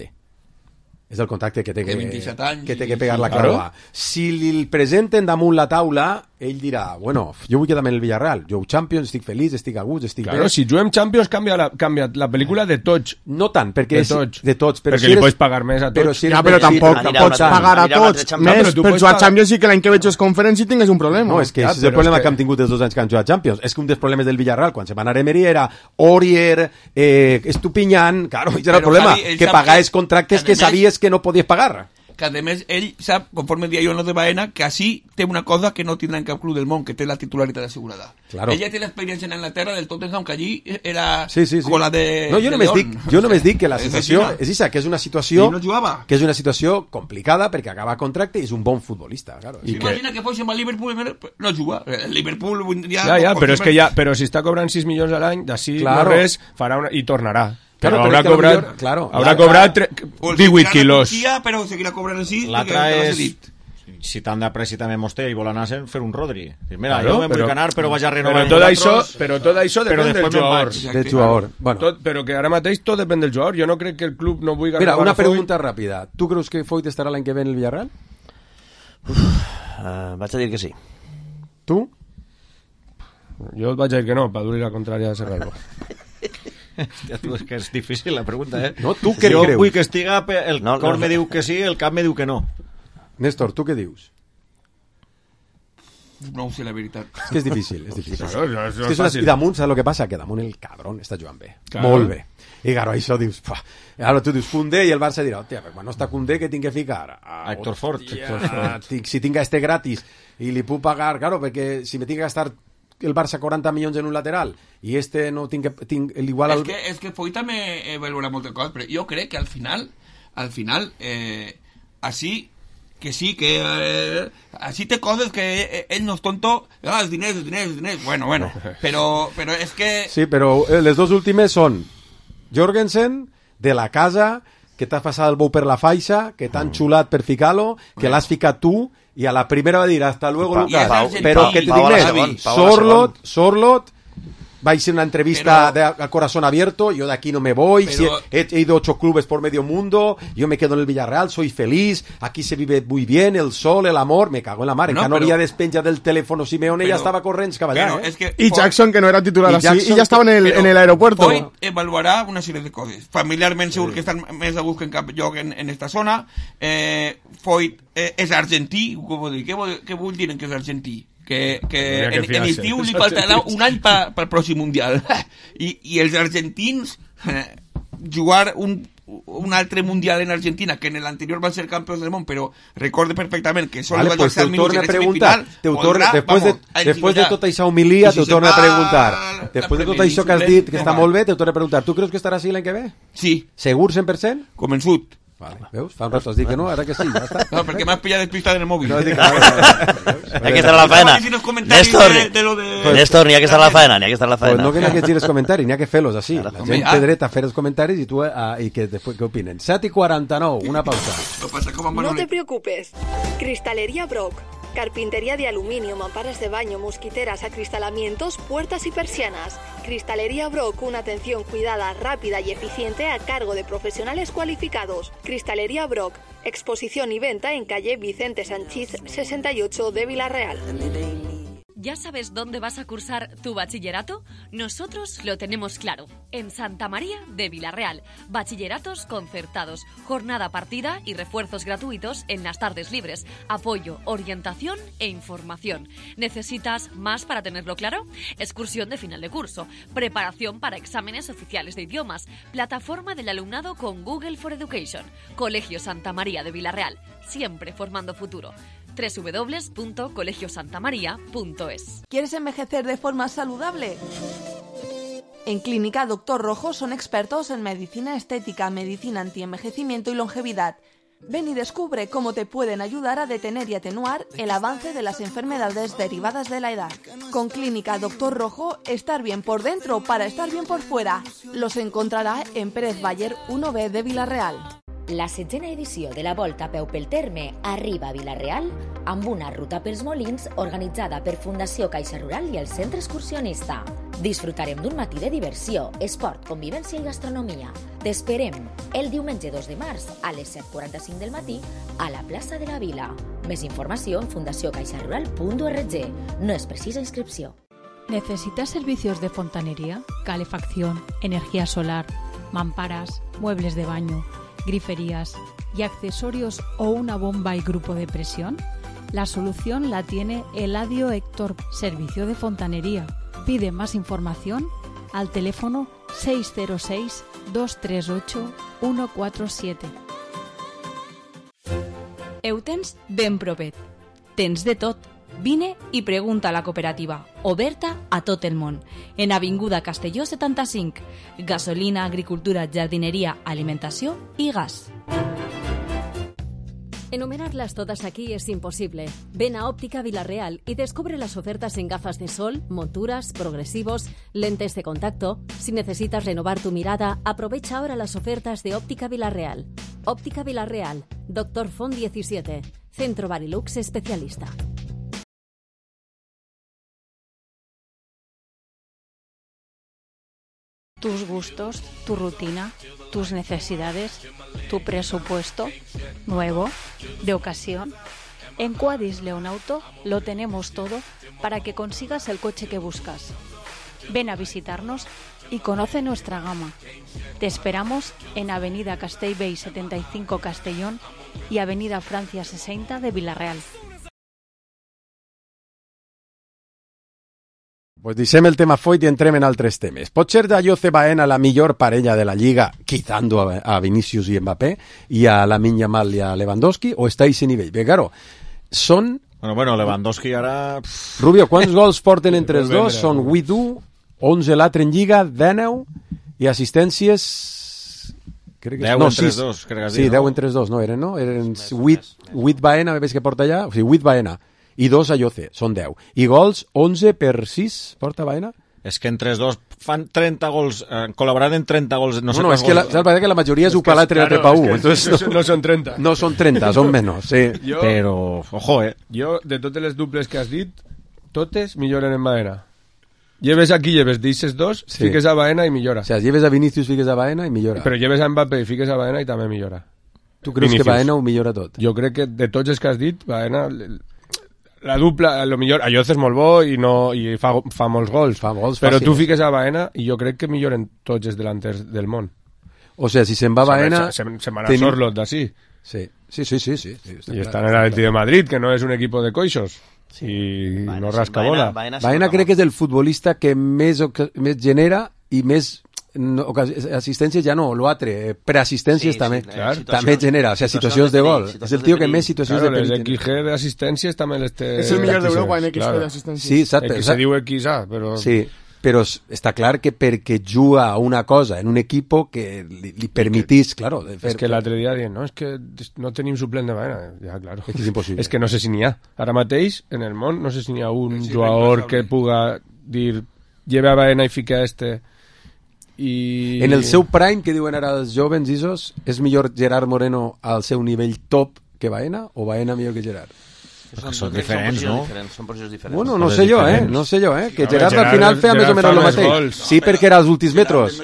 el contracte que té que pegar la clava. Si li presenten damunt la taula, ell dirà, bueno, jo vull quedar-me en el Villarreal, jo Champions, estic feliç, estic a gust, estic bé. Si juguem Champions canvia la pel·lícula de tots. No tant, perquè de tots. Perquè li pots pagar més a tots. Però tampoc pots pagar a tots. Més, per jugar Champions i que l'any que veig els Conference i tingués un problema. No, és que és el problema que hem tingut els 2 anys que han jugat Champions. És que un dels problemes del Villarreal, quan se va anar a Emery, era Aurier, Estupiñán, claro, era el problema, que pagaves contractes que sabies que no podies pagar. Que a més ell sap, conforme dia jo no de Baena, que així té una cosa que no tindrà en cap club del món, que té la titularitat assegurada. Claro. Ella té l'experiència en Anglaterra del Tottenham, que allí era sí. con la de... No, jo només dic que la situació és això, que és una situació no que és una situació complicada perquè acaba contracte i és un bon futbolista, claro. Imagina que fos amb el Liverpool no juga. El Liverpool ja, però si està cobrant 6 milions a l'any, d'ací no res, farà una i tornarà. Claro, haurà cobrat 18 quilos. Però seguirà cobrant així. L'altra és, si t'han de pressa també Mosté i vol anar a fer un Rodri. Mira, jo me'n vull anar, però vaig a renovar. Però tot això depèn del jugador. Però que ara mateix tot depèn del jugador. Jo no crec que el club no vulgui... Mira, una pregunta ràpida. Tu creus que Foyt estarà l'any que ve en el Villarreal? Vaig a dir que sí. Tu? Jo vaig a dir que no, per dur-li la contrària a Serralbo. Hòstia, tu, és que és difícil la pregunta, No, tu què jo creus? Vull que estiga, el cor me diu que sí, el cap me diu que no. Néstor, tu què dius? No ho sé, la veritat. És que és difícil. Claro, I damunt, saps el que passa? Que damunt el cabron està jugant bé. Claro. Molt bé. I claro, això dius... Ara tu dius Koundé i el Barça dirà, hòstia, però quan no està Koundé, què tinc que ficar? Héctor Fort. Si tinc este gratis i li puc pagar, claro, perquè si me tinc que gastar el Barça 40 milions en un lateral i este no tinc igual al... És que Foyt també valora moltes coses, però jo crec que al final així que sí, que així té coses que ell no és tonto, els diners, bueno, però és que... Sí, però les dos últimes són Jorgensen, de la casa, que t'has passat el bou per la faixa, que t'han xulat per ficar-lo, que l'has ficat tu, y a la primera va a decir hasta luego Lucas, pero que te digas Sorlot va a ir una entrevista a corazón abierto, yo de aquí no me voy, he ido a 8 clubes por medio mundo, yo me quedo en el Villarreal, soy feliz, aquí se vive muy bien, el sol, el amor, me cago en la mar, no había despenja del teléfono Simeone, ya estaba corriendo caballá, y Jackson, que no era titular así, y ya estava en el aeropuerto. Foyt evaluarà una sèrie de coses, familiarment segur que estan més a buscar en cap lloc en esta zona. Foyt és argentí, què vull dir que és argentí? Que en estiu li faltarà un any pel pròxim Mundial. I els argentins jugar un altre Mundial en Argentina, que en l'anterior van ser campions del món, però recorde perfectament que solo van ser minuts en el semifinal. Després de tota aquesta homilia, t'ho torno a preguntar. Després de tot això que has dit, que està molt bé, t'ho torno a preguntar. Tu creus que estarà així l'any que ve? Sí. Segur 100%? Convençut. Vale, veus? Fa un rato has dit que no, ara que sí, ja està. No, perquè m'has pillat despistat en el mòbil. Hay que estar a la faena. Néstor, n'hi ha que estar a la faena, Pues no que n'hi ha que gires comentaris, n'hi ha que fer-los així. La gent té dret a fer els comentaris i tu i que després què opinen. 7:49, una pausa. No te preocupes. Cristalería Brock. Carpintería de aluminio, mamparas de baño, mosquiteras, acristalamientos, puertas y persianas. Cristalería Brock, una atención cuidada, rápida y eficiente a cargo de profesionales cualificados. Cristalería Brock, exposición y venta en calle Vicente Sanchís 68 de Villarreal. ¿Ya sabes dónde vas a cursar tu bachillerato? Nosotros lo tenemos claro. En Santa María de Vilarreal. Bachilleratos concertados, jornada partida y refuerzos gratuitos en las tardes libres. Apoyo, orientación e información. ¿Necesitas más para tenerlo claro? Excursión de final de curso. Preparación para exámenes oficiales de idiomas. Plataforma del alumnado con Google for Education. Colegio Santa María de Vilarreal. Siempre formando futuro. www.colegiosantamaria.es. ¿Quieres envejecer de forma saludable? En Clínica Dr. Rojo son expertos en medicina estética, medicina antienvejecimiento y longevidad. Ven y descubre cómo te pueden ayudar a detener y atenuar el avance de las enfermedades derivadas de la edad. Con Clínica Dr. Rojo, estar bien por dentro para estar bien por fuera. Los encontrarà en Pérez Baller 1B de Vilarreal. La 7ª edició de la Volta a peu pel terme arriba a Vilarreal amb una ruta pels molins organitzada per Fundació Caixa Rural i el Centre Excursionista. Disfrutarem d'un matí de diversió, esport, convivència i gastronomia. T'esperem el diumenge 2 de març a les 7:45 del matí a la plaça de la Vila. Més informació en fundacioncaixarural.org. No es precisa inscripció. ¿Necesitas servicios de fontanería, calefacción, energía solar, mamparas, muebles de baño, griferías y accesorios o una bomba y grupo de presión? La solución la tiene Eladio Héctor, Servicio de Fontanería. Pide más información al teléfono 606 238 147. Ho tens ben propet. Tens de tot. Vine i pregunta a la cooperativa, oberta a tot el món. En Avinguda Castelló 75. Gasolina, agricultura, jardineria, alimentació i gas. Enumerarlas todas aquí es imposible. Ven a Óptica Vilarreal y descubre las ofertas en gafas de sol, monturas, progresivos, lentes de contacto. Si necesitas renovar tu mirada, aprovecha ahora las ofertas de Óptica Vilarreal. Óptica Vilarreal, Dr. Font 17, Centro Barilux Especialista. Tus gustos, tu rutina, tus necesidades, tu presupuesto, nuevo, de ocasión. En Quadis Leonauto lo tenemos todo para que consigas el coche que buscas. Ven a visitarnos y conoce nuestra gama. Te esperamos en Avenida Castellbell 75 Castellón y Avenida Francia 60 de Vilarreal. Pues deixem el tema foit i entrem en altres temes. Pot ser d'Ayoce Baena la millor parella de la Lliga, quitando a Vinicius i Mbappé, i a Lamine Yamal i a Lewandowski, o està a ese nivell? Bé, claro, són... Bueno, Lewandowski ara... Rubio, quants gols porten entre els dos? Són 8-1, 11 l'altre en Lliga, 19, i assistències... 10 entre els dos, crec que has dit, sí, 10 entre els dos, no eren, no? Eren 8 Baena, veig que porta allà, o sigui, 8 Baena. I 2 a Ayoce, són 10. I gols, 11 per 6, porta Baena? És que entre els dos fan 30 gols, col·laborat en 30 gols, no sé és que la majoria és un per l'altre per 1, entonces no són 30. No són 30, són menys, sí. Però, ojo, Jo, de totes les duples que has dit, totes milloren en Baena. Lleves aquí, lleves d'eixes dos, sí. Fiques a Baena i millora. O sea, lleves a Vinicius, fiques a Baena i millora. Però lleves a Mbappé i fiques a Baena i també millora. Tu creus Vinicius. Que Baena ho millora tot? Jo crec que de tots els que has dit, Baena... La dupla, lo millor, Ayoce és molt bo i fa molts gols, però tu fiques a Baena i jo crec que milloren tots els delanters del món. O sea, si se'n va Baena... Se van a Sorlot d'ací. Sí. I estan en l'Atleti de Madrid, que no és un equip de coixos. I no rasca bola. Baena crec que és el futbolista que més genera i més... assistències ja no, l'altre, preassistències també també genera, o sea, situacions de gol és el tio que més situacions de perill. Les XG d'assistències també les té. És el millor d'Europa en XG d'assistències. Sí, exacte. Se diu XA, però... Sí, però està clar que perquè juga a una cosa en un equip que li permetís, claro. És que l'altre dia dient, no, és que no tenim suplent de Baena. Ja, claro. És que és impossible. És que no sé si n'hi ha. Ara mateix, en el món, no sé si n'hi ha un jugador que puga dir, lleve a Baena i fica I... En el seu prime, que diuen ara els jovens isos, és millor Gerard Moreno al seu nivell top que Baena o Baena millor que Gerard? Són diferents, no? Són posicions diferents. Bueno, no sé jo, que Gerard al final feia més o menys el mateix. Sí, perquè era als últims metros.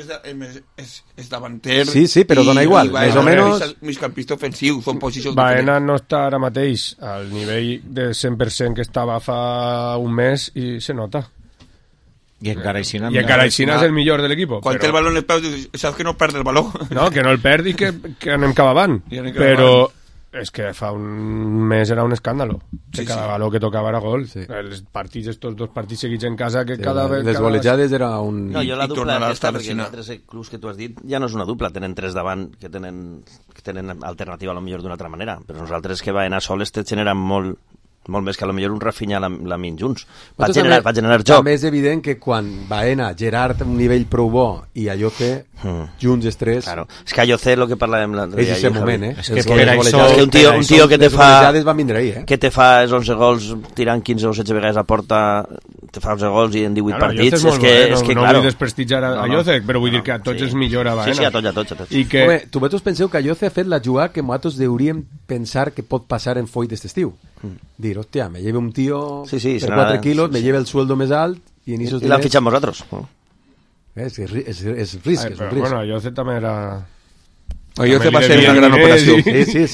És davanter. Sí, però dona igual, més o menys. Migcampista ofensiu, són posicions Baena no està ara mateix al nivell de 100% que estava fa un mes i se nota. I encara Aixina és el millor de l'equip. Quan té el baló en el peu, saps que no perd el baló. No, que no el perd i que anem cap avant. Però és que fa un mes era un escàndalo. Cada baló que tocava era gol. Els partits, estos dos partits seguits en casa, que cada vegada... Les golejades era un... No, jo la dupla aquesta, perquè els altres clubs que tu has dit ja no és una dupla, tenen tres davant que tenen alternativa a lo millor d'una altra manera, però nosaltres que va anar soles te generen molt més que a lo millor un Rafinha la min junts. Va generar joc. També és evident que quan Baena, Gerard un nivell prou bo i Ayoce junts els tres... Claro. És que Ayoce, el que parlàvem l'altre dia... És aquest moment, És que un tio que te fa els 11 gols tirant 15 o 16 vegades a porta, te fa 11 gols i en 18 partits... No vull desprestigiar a Ayoce, però vull dir que a tots els millora Baena. Sí, a tots. Home, tu vosaltres penseu que Ayoce ha fet la jugada que nosaltres hauríem pensar que pot passar en Foyt d'aquest estiu. Dir, hòstia, me lleve un tío per 4 quilos, me lleve el sueldo més alt i l'han fitxat vosaltres. És risc, és un risc. Bueno, Ayoce també era... Ayoce va ser una gran operació. Sí.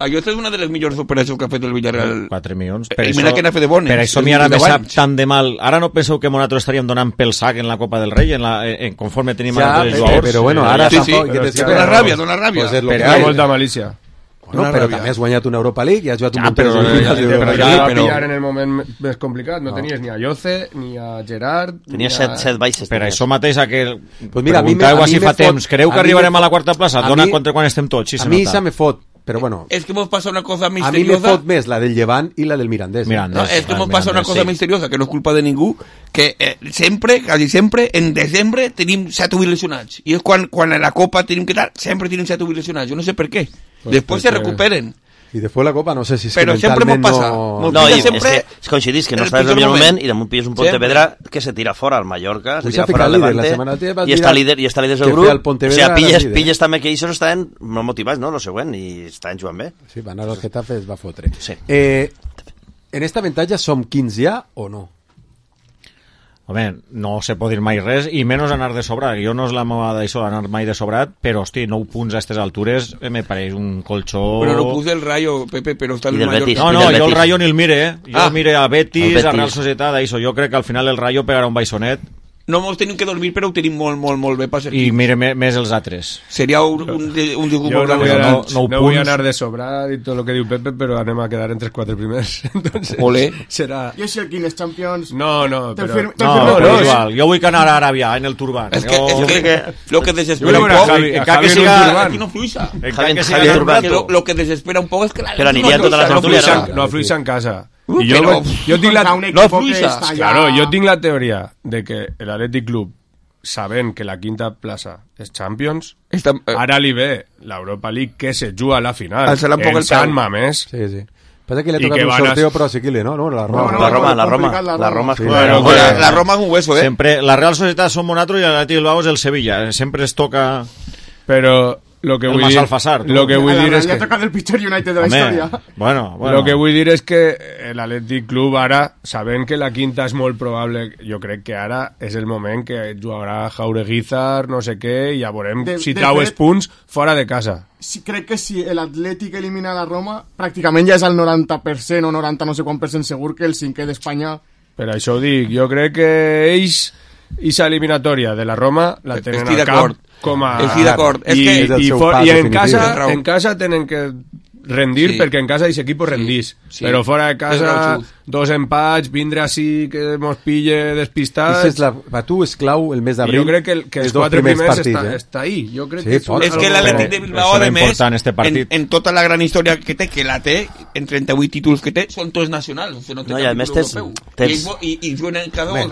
Ayoce és una de les millors operacions que ha fet el Villarreal. 4 milions. Mira que n'ha fet de bones. Per això mi ara me sap tan de mal. Ara no penseu que nosaltres estaríem donant pel sac en la Copa del Rei, conforme tenim a tots els jugadors. Però bueno, ara tampoc... Dona ràbia. Però molta malícia. Bueno, però també has guanyat una Europa League i has jugat un però ja va pillar en el moment més complicat. No tenies ni a Ayoce ni a Gerard. Tenies 7 baixes. Per això mateix preguntàveu si fa temps. Creu que arribarem a la quarta plaça? Dona contra quan estem tots. A mi se me fot. Pero bueno, es que hemos pasado una cosa misteriosa. A mí me fot més la del Llevant y la del Mirandés. No, es que hemos pasado una cosa misteriosa, que no es culpa de ningú, que quasi sempre, en desembre tenim 7 lesionats. I és quan a la Copa tenim que dar, sempre tenim 7 lesionats. Jo no sé per què. Després se recuperen. I després la Copa no sé si és però que mentalment no, i és coincidís que no estàs en el millor moment i damunt pilles un Pontevedra que se tira fora al Mallorca, se tira fora al Levante i està líder del grup. O sigui, pilles també que ells estaven molt motivats, no? Lo següent, i estaven jugant bé. Sí, van anar al Getafe, es va fotre. En esta avantatge som 15 ja o no? Home, no se pot dir mai res, i menys anar de sobrat. Jo no és la meva d'això, anar mai de sobrat, però, hosti, 9 punts a aquestes altures me pareix un colxó... Però no puse el Rayo, Pepe, però està el Mallorca. No, jo el Rayo ni el mire, Jo mire a Betis, a Real Societat, això. Jo crec que al final el Rayo pegarà un baixonet. No mos tenim que dormir, però ho tenim molt bé per ser. I mire més els altres. Seria un jugo molt gran. No vull anar de sobrat i tot el que diu Pepe, però anem a quedar entre els 4 primers. Entonces, serà... Jo sé quines Champions... No, però... No, igual. Jo vull que anar a Aràbia, en el Turban. És que lo que desespera un poc... Encara que siga... Aquí no fluixa. Lo que desespera un poc és que... Però aniria tota la tertúlia. No fluixa en casa. Jo tinc la teoria de que l'Atlètic Club, sabent que la quinta plaça és Champions, ara li ve l'Europa League que se juga a la final en Sant Mamés. Sí. Passa que le toca un sorteo però asequible, ¿no? La Roma és un hueso, Sempre, la Real Societat som nosaltres i l'Atlètic Bilbao és el Sevilla. Sempre es toca... Però... Lo que vull dir és que toca del pitjor United de la història. Bueno. Lo que vull dir és que l'Atlètic Club ara, sabent que la quinta és molt probable, jo crec que ara és el moment que jugarà Jaureguizar, no sé què, i ja veurem si trau els punts fora de casa. Sí, crec que si l'Atlètic elimina la Roma, pràcticament ja és el 90% o 90 no sé quant % segur que el 5è d'Espanya... Per això ho dic, jo crec que ells, i eliminatòria de la Roma, la tenen al cap. Estic d'acord. I en casa tenen que rendir perquè en casa aquest equip rendís. Però fora de casa, 2 empats, vindre així que mos pille despistats... Per tu és clau el mes d'abril. Jo crec que els 4 primers està ahí. Jo crec que és que l'Atlètic de Bilbao, a més, en tota la gran història que té, en 38 títols que té, són tots nacionals. No, i a més tens... I juguen cada un.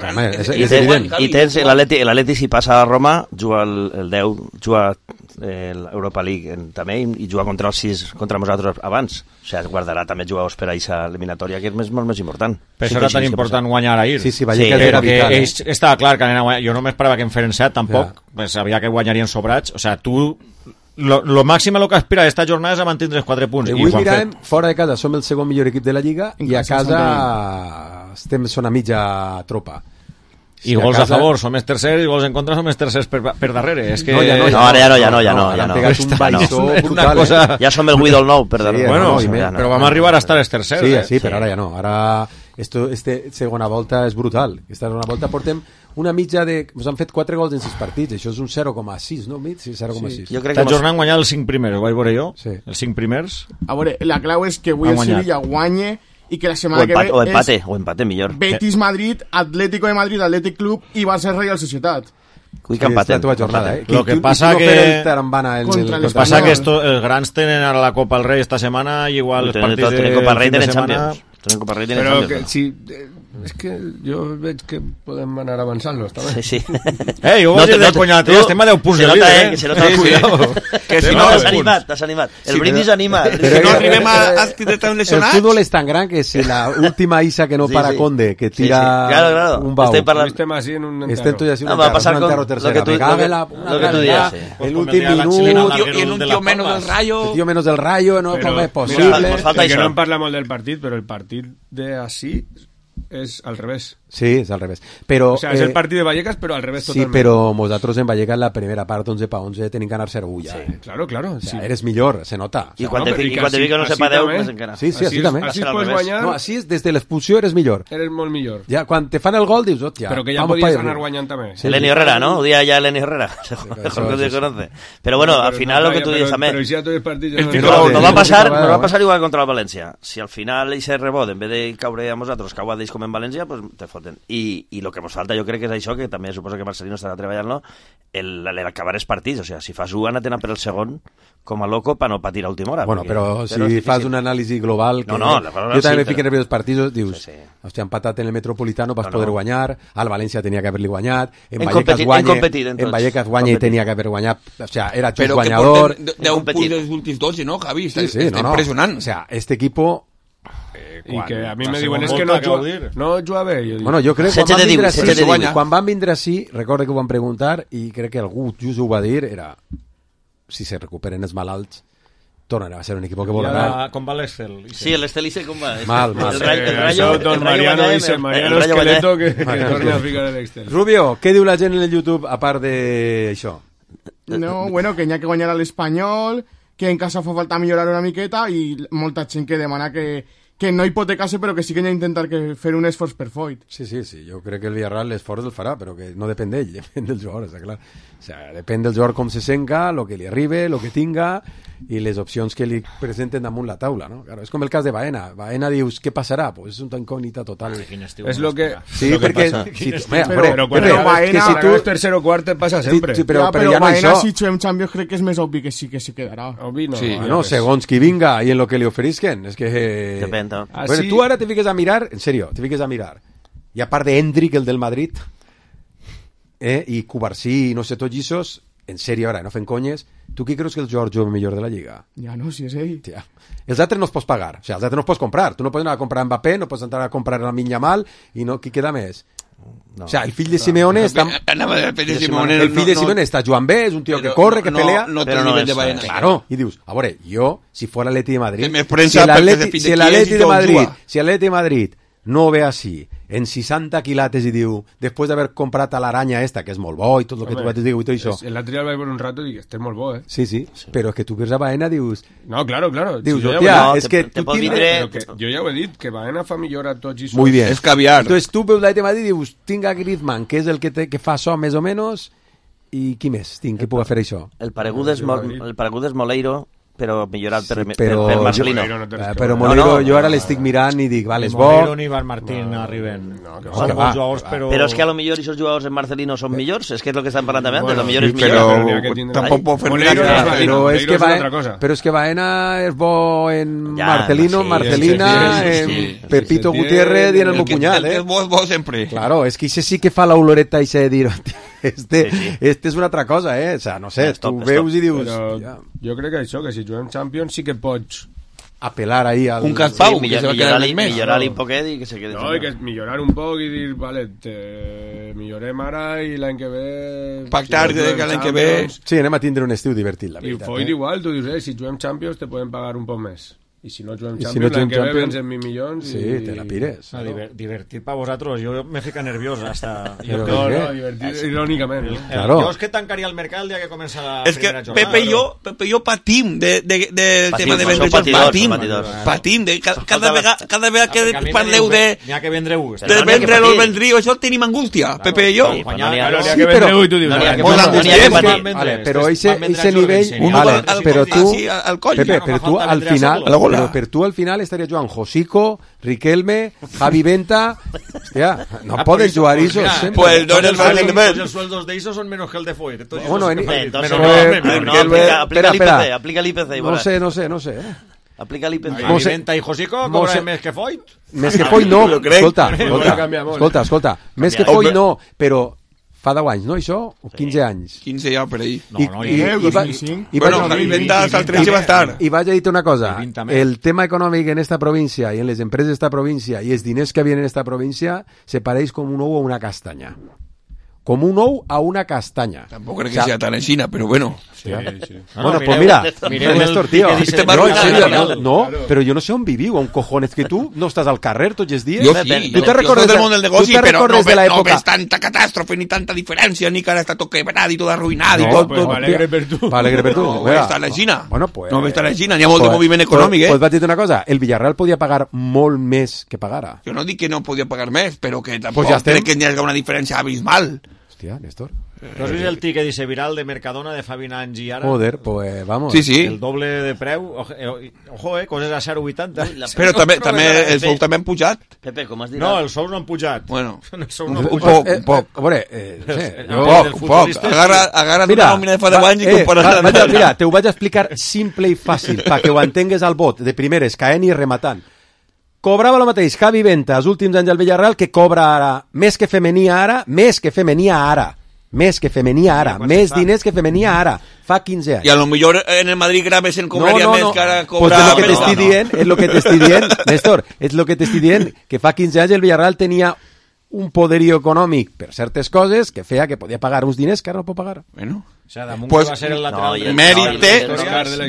I tens l'Atlètic, si passa a Roma, juga el 10, juga l'Europa League també, i juga contra els 6 contra nosaltres abans. O sigui, guardarà també jugadors per a aquesta eliminatòria, que és molt més important. Per això era tan important guanyar ahir. Sí, perquè estava clar que jo no m'esperava que en feren 7 tampoc, sabia que guanyarien sobrats. O sigui, tu lo màxim a lo que aspira esta jornada és a mantindre els 4 punts. Avui mirem, fora de casa som el segon millor equip de la Lliga i a casa són a mitja tropa. I gols a favor som els tercers i gols en contra som els tercers per darrere. És que... No, han pegat un baixó brutal. Ja som el Guidol nou per darrere. Bueno, però vam arribar a estar els tercers. Sí, però ara ja no. Ara segona volta és brutal. Aquesta segona volta portem una mitja de... Ens han fet 4 gols en 6 partits. Això és un 0,6, no? Sí, 0,6. Esta jornada han guanyat els 5 primers, ho vaig veure jo. Els 5 primers. A veure, la clau és que avui el Sevilla guanye i que la setmana que ve o empate millor. Betis Madrid, Atlético de Madrid, Athletic Club i Barça Real Societat. Cuic empaten. Lo que pasa que pasa que els grans tenen ara la Copa del Rei esta setmana i igual els partits de Copa del Rei tenen Champions. Però que si... És que jo veig que podem anar avançant-los, també. Sí. Jo vaig dir de conya, estem a 10 punts de líder, que se nota el cuidado. Que si no, t'has animat. El brindis anima. Si no arribem a estar lesionats... El futbol és tan gran que si la última Isa que no para Conde, que tira un bau. Estem així en un enterro. Va a passar con lo que tu dies. El últim minut... I en un tío menos del Rayo... El tío menos del Rayo, no és possible. Que no en parla molt del partit, però el partit d'ací és al revés. Sí, és al revés. Però, o sea, és el partit de Vallecas, però al revés totalment. Sí, però nosaltres en Vallecas la primera part 11 pa 11 tenim que anar 0-1 ja. Sí, claro. O sea, eres millor, se nota. I quan te dic que no se pa 10, més encara. Sí, així també. Així pots guanyar... No, així és, des de l'expulsió eres millor. Eres molt millor. Ja, quan te fan el gol dius, hòstia... Però que ja podies anar guanyant també. Lenny Herrera, ¿no? Ho dia ja Lenny Herrera. Mejor que te conoce. Pero bueno, al final lo que tú dices també... Però si ja tots els partits... No va passar igual contra el València. Si al final ese rebot, en vez de caure a nosaltres, cau a Deix com en València, pues te foten. I lo que ens falta jo crec que és això, que també suposo que Marcelino estarà treballant-lo, l'acabar els partits. O sigui, si fas un, anar per el segon com a loco per no patir a última hora. Bueno, però si fas un anàlisi global... Jo també me fico en els partits, dius, hòstia, han empatat en el Metropolitano, vas poder guanyar, al València tenia que haver-li guanyat, en Vallecas guanya i tenia que haver guanyat, o sea, era just guanyador... Però que porten 10 punts dels últims 12, no, Javi? Està impressionant. O sea, este equipo... I que a mi me diuen és que no juga bé. Bueno, jo crec que quan van vindre així, recordo que ho van preguntar i crec que algú just ho va dir, era si se recuperen els malalts tornarà a ser un equip que volarà. Com va l'Estel? Sí, l'Estel dice com va. Mal. El Rayo, don Mariano dice, Mariano Esqueleto que torna a ficar l'Estel. Rubio, què diu la gent en el YouTube a part d'això? No, bueno, que n'hi ha que guanyar a l'Espanyol, que en casa fa falta millorar una miqueta i molta gent que demana que no hipotecarse, però que sí que n'hi ha d'intentar fer un esforç per Foyt. Sí, jo crec que el Villarreal l'esforç el farà, però que no depèn d'ell, depèn del jugador, està clar. O sea, depèn del jugador com se senga, lo que li arribe, lo que tinga i les opcions que li presenten damunt la taula, no? Claro, és com el cas de Baena. Baena dius, què passarà? Pues és una incògnita total. És lo que... Sí, perquè... Però Baena, si tu tercer o quart et passa sempre. Però Baena, si juguem Champions, crec que és més obvi que sí que se quedarà. Obvi no. No, segons qui vinga i en lo que li oferisquen. És que... Depèn. Bueno, tu ara te fiques a mirar, en serio, i a part de Hendrik, el del Madrid, i Cubarsí, no sé, tots lliços, en serio, ara, no fent conyes, tu qui creus que el jugador jove millor de la Lliga? Ja no, si és ell. Tia. Els altres no els pots pagar, o sigui, els altres no els pots comprar. Tu no pots anar a comprar Mbappé, no pots entrar a comprar la Minya Mal, i no, qui queda més? No. O sea, el fill de Simeone està... El fill de Simeone està jugant bé, és un tio que corre, que pelea... No té el nivell de Baena. Claro, i dius, a veure, jo, si fos l'Atleti de Madrid... Si l'Atleti de Madrid no ve així, en 60 quilates i diu, després d'haver comprat a l'aranya esta, que és molt bo i tot el que tu vas dir i tot això... L'altre vaig veure un rato i dic, este és molt bo, Sí, però és que tu veus a Baena dius... No, claro. Dius, hòstia, és que tu tindràs... Jo ja ho he dit, que Baena fa millor a tots i Muy bien. És caviar. Entonces tu veus l'Atleti de Madrid i dius, tinc a Griezmann, que és el que fa això més o menys, i qui més tinc que pugui fer això? El paregut és Moleiro, però millorat per Marcelino. Però Moleiro jo ara l'estic mirant i dic, vale, és bo... Moleiro ni Van Martín arriben. Però és que a lo millor aquests jugadors en Marcelino són millors, és que és el que estan parlant també antes, a lo millor és millor. Però tampoc pot fer però és que Baena és bo en Marcelino, Marcelina, en Pepito Gutiérrez i en el meu punyal, és bo sempre. Claro, és que sí que fa l'oloreta i de dir, este és una altra cosa, o sea, no sé, tu veus i dius... Jo crec que això, que si juguem Champions sí que pots apelar ahí al... Un Caspau, sí, millorar-li un poquet i que se quede... No, i que millorar un poc i dir, vale, millorem ara i l'any que ve... Pactar de que l'any que ve... Sí, anem a tindre un estiu divertit, la veritat. I Foyt igual, tu dius, si juguem Champions te podem pagar un poc més. I si no juguem Champions, l'any que ve vens en 1.000 milions sí, te la pires. No, divertit per vosaltres, jo me fica nerviós hasta... No, divertit irònicament. Claro. Jo és que tancaria el mercat el dia que comença la primera jornada. Pepe i jo patim de tema de vendre jocs. Patim. Cada vegada que parleu de vendre los vendríos, això tenim angústia, Pepe i jo. Sí, però ese nivell... Però tu, Pepe, però tu al final... Pero tú al final estarías jugando Josico, Riquelme, Javi Venta. Hostia, no pueden jugar esos. Pues no eres el nivel. Los sueldos de esos son menos que el de Foyt. Bueno, aplica el IPC. No sé. Aplica l'IPC. Javi Venta i Josico cobren més que Foyt? Més que Foyt no. Escolta. Més que Foyt no, però... Fa 10 anys, no, això? O 15 anys? 15 ja, per ahí. I vaig a dir una cosa. El tema econòmic en esta província i en les empreses d'esta província i els diners que vienen en esta província se pareix com un ou a una castanya. Com un ou a una castanya. Tampoc crec que sea tan aixina, però bueno. Sí. Bueno, pues mira, Néstor, tío. No, pero yo no sé on viviu, on cojones, que tu no estàs al carrer tots els dies. Jo sí, tu te recordes del món del negoci, però no ves tanta catàstrofe ni tanta diferència, ni que ara està tot quebrat i tot arruïnat i tot. M'alegre per tu. No ves tan aixina. Bueno, pues... No ves tan aixina, n'hi ha molt de moviment econòmic, Pues vaig dir una cosa, el Villarreal podia pagar molt més que pagara. Jo no dic que no podia pagar més, però que tampoc crec que n'hi hagi una diferència abismal. Hòstia, Néstor. ¿No has visto el ticket dice viral de Mercadona de Fabi Nangi y ara? Joder, pues vamos. Sí. El doble de preu. Ojo, coses a 0,80. Però també els sous també han pujat. Pepe, com has dit? No, els sous no han pujat. Bueno, un poc. A veure, poc. Agarra't una nòmina de fa 10 anys i comparar-la. Mira, te ho vaig explicar simple i fàcil, perquè ho entengues al bot, de primeres, caent i rematant. Cobrava el mateix Javi Venta els últims anys al Villarreal que cobra ara, més que femenia ara, més diners que femenia ara, fa 15 anys. I a lo millor en el Madrid Gravesen cobraria més que ara cobra... Pues és lo que t'estic dient, Néstor, és lo que t'estic dient, que fa 15 anys el Villarreal tenia un poderío econòmic per certes coses que feia que podia pagar uns diners que ara no pot pagar. Bueno, pues va ser el lateral mérite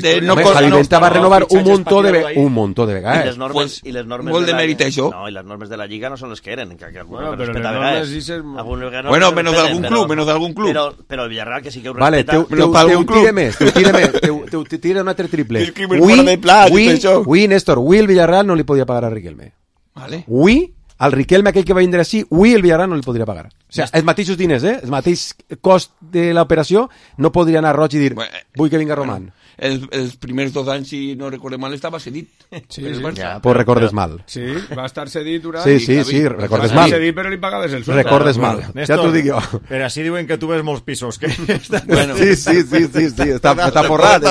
de no Javi Venta va renovar un montó de vegades. I les normes molt de mèrit això. No, i les normes de la Lliga no són les que eren, que bueno, però les normes bueno, menos d'algun club. Però el Villarreal que sí que ho respeta. Vale, te tira un altre triple. Avui, Néstor, avui el Villarreal no li podia pagar a Riquelme. Vale. Avui al Riquelme aquell que va vindre així, avui el Villarreal no li podria pagar. O sigui, els mateixos diners, el mateix cost de l'operació, no podria anar roig i dir, vull que vinga Roman. Els primers 2 anys, si no recordem mal, estava cedit. Sí, pues recordes mal. Sí, va estar cedit durant... Sí, recordes mal. Va estar cedit, però li pagaves el sueldo. Recordes mal, ja t'ho dic jo. Però així diuen que tu ves molts pisos. Sí, està forrat.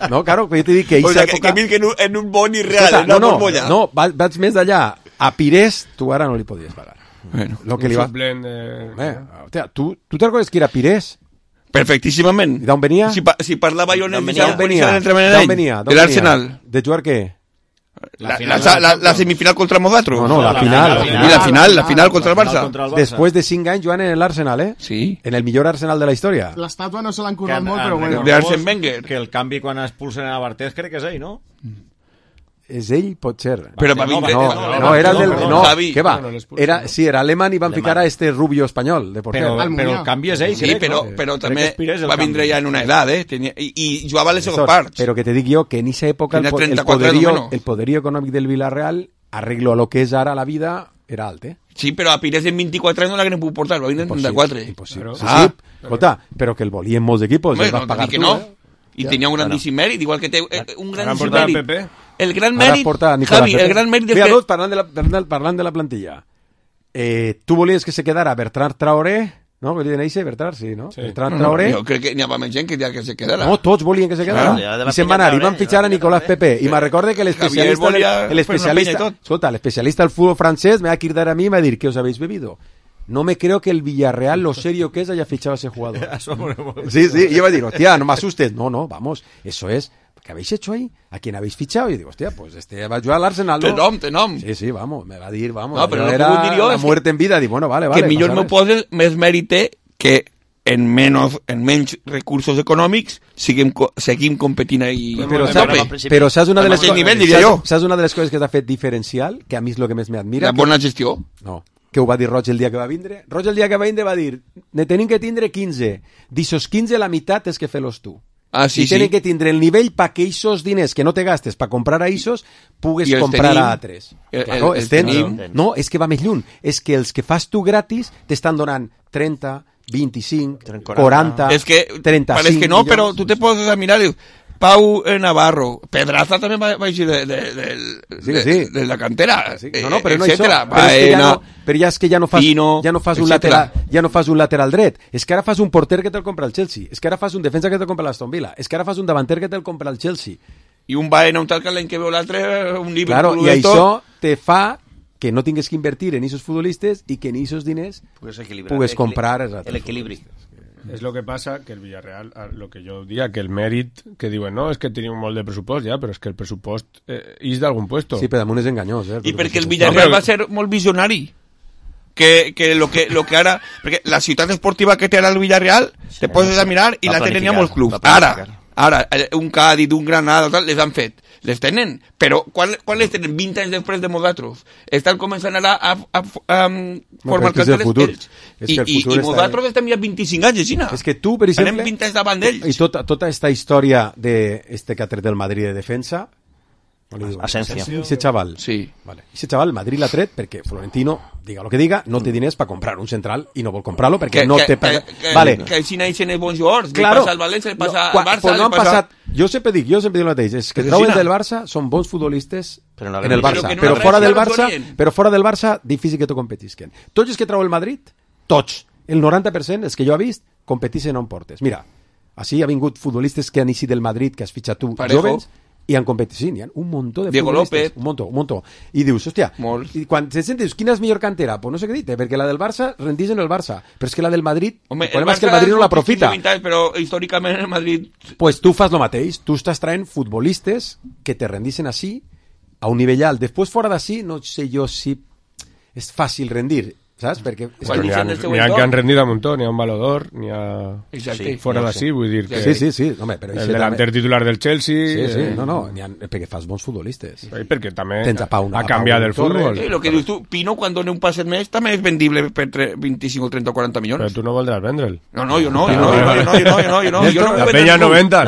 No, claro, jo t'he dit que... O sea, que milquen en un boni real, en una bombolla. No, vaig més d'allà. A Pires, tu ara no li podies pagar. Bueno, un suplent de... Tu te recordes que era Pires? Perfectíssimament. I d'on venia? Si parlava jo en el d'on venia? De l'Arsenal. De jugar què? La semifinal contra Modatro. No, la final. I la final contra el Barça. Després de 5 anys jugant en l'Arsenal, Sí. En el millor Arsenal de la història. L'estàtua no se l'han currat molt, però bueno. De Arsène Wenger. Que el canvi quan expulsen a Bartés crec que és ell, no? És ell, pot ser. Però va vindre... No, era el del... No, què va? Era alemany i van ficar a este rubio espanyol de porter. Però el canvi és ell, sí, però també va vindre ja en una edat, i jugava les seves parts. Però que te dic jo que en esa època el poderío econòmic del Villarreal, arreglo a lo que és ara la vida, era alt, Sí, però a Pires en 24 anys no l'haguem pogut portar, va vindre en 34. Impossible. Sí, escolta, però que el volien molts equipos, el vas pagar tu, I tenia un grandíssim mèrit, igual que té un grandíssim mèrit. El gran mèrit, Javi, el gran mèrit... Mira, parlant de la plantilla, tu volies que se quedara Bertrand Traoré, no? Volien eixe, Bertrand, sí, no? Bertrand Traoré. Jo crec que n'hi havia més gent que deia que se quedara. No, tots volien que se quedara. I se'n van anar, i van fitxar a Nicolás Pepe. I me recorde que l'especialista... Escolta, l'especialista del futbol francès me va cridar a mi i me va dir, ¿qué os habéis bebido? No me creo que el Villarreal, lo serio que es, haya fichado a ese jugador. Sí, y iba a decir, hostia, no me asustes. No, vamos, eso es ¿qué habéis hecho ahí? ¿A quién habéis fichado? Y digo, hostia, pues va a jugar al Arsenal, ¿no? Té nom. Sí, vamos, me va a dir, vamos. No, però era la muerte en vida. Dic, bueno, vale. Que millor no poses més mèrit que en menys recursos econòmics seguim competint ahí. Però saps una de les coses, saps una de les coses que t'ha fet diferencial, que a mi és el que més m'admira? La bona gestió. No, que ho va dir Roig el dia que va vindre. Roig el dia que va vindre va dir, ne tenim que tindre 15. D'ixos 15 la meitat és que fer-los tu. Sí, i tenen que tindre el nivell pa que aquests diners que no te gastes per comprar a aquests pugues comprar a altres. Claro, no, és que va més lluny. És que els que fas tu gratis t'estan donant 30, 25, 40, es que 35 parece que no, milions. pero tú te puedes mirar, dius, Pau Navarro, Pedraza també va eixir de la cantera, no, però no etcétera. Però ja és que ja no fas un lateral dret, és que ara fas un porter que te'l compra el Chelsea, és que ara fas un defensa que te'l compra l'Aston Villa, és que ara fas un davanter que te'l compra el Chelsea. I un Baena, un tal que l'any que veu l'altre, un Liverpool... Claro, i això te fa que no tingues que invertir en esos futbolistes y que en esos diners puedes comprar el equilibrio. És el que passa que el Villarreal, el que jo diria, que el mèrit que diuen, no, és que tenim molt de pressupost ja, però és que el pressupost és d'algun puesto. Sí, però damunt és enganyós. I perquè el Villarreal va ser molt visionari. Que lo que ara... Perquè la ciutat esportiva que té ara el Villarreal, te poses a mirar i la tenen molts clubs. Ara, un Cádiz, un Granada, tal, les han fet. Les tenen, però quan les tenen 20 anys després de nosaltres? Estan començant ara a formar carteles i nosaltres estem ja 25 anys, Xina. És que tu, per exemple... Anem 20 anys davant d'ells. I tota aquesta història que ha tret del Madrid de defensa... Asensio. Ese chaval. Sí. Vale. Ese chaval, Madrid l'ha tret perquè Florentino, diga lo que diga, no té diners per comprar un central i no vol comprar-lo perquè no té... Vale. Que si naixen els bons jugadors, li passa al València, li passa al Barça... No han passat... Jo sempre dic el mateix, és que troben del Barça, són bons futbolistes en el Barça, però fora del Barça, difícil que t'ho competisquen. Tots els que trau el Madrid, tots, el 90%, els que jo he vist, competixen on portes. Mira, així ha vingut futbolistes que han eixit del Madrid, que has fitxat tu, jóvens, i han competit, hi ha un muntó de Diego futbolistes, López, un muntó, i dius, hòstia, i quan se sentes, quina és millor cantera? Pues no sé què dir, perquè la del Barça rendís en el Barça, però és que la del Madrid, el problema és que el Madrid no l'aprofita. Però històricament el Madrid... Pues tu fas lo mateix, tu estàs traient futbolistes que te rendixen així, a un nivell alt. Després, fora d'ací, no sé jo si és fàcil rendir, saps? Perquè n'hi ha que han rendit a muntó, n'hi ha un Balodor, n'hi ha fora d'ací, vull dir que sí. Home, però el delanter titular del Chelsea perquè fas bons futbolistes, perquè també ha canviat el futbol. El que dius tu, Pino quan dona un passet més també és vendible per 25 o 30 o 40 milions. Però tu no voldràs vendre'l. No, jo no. La penya 90.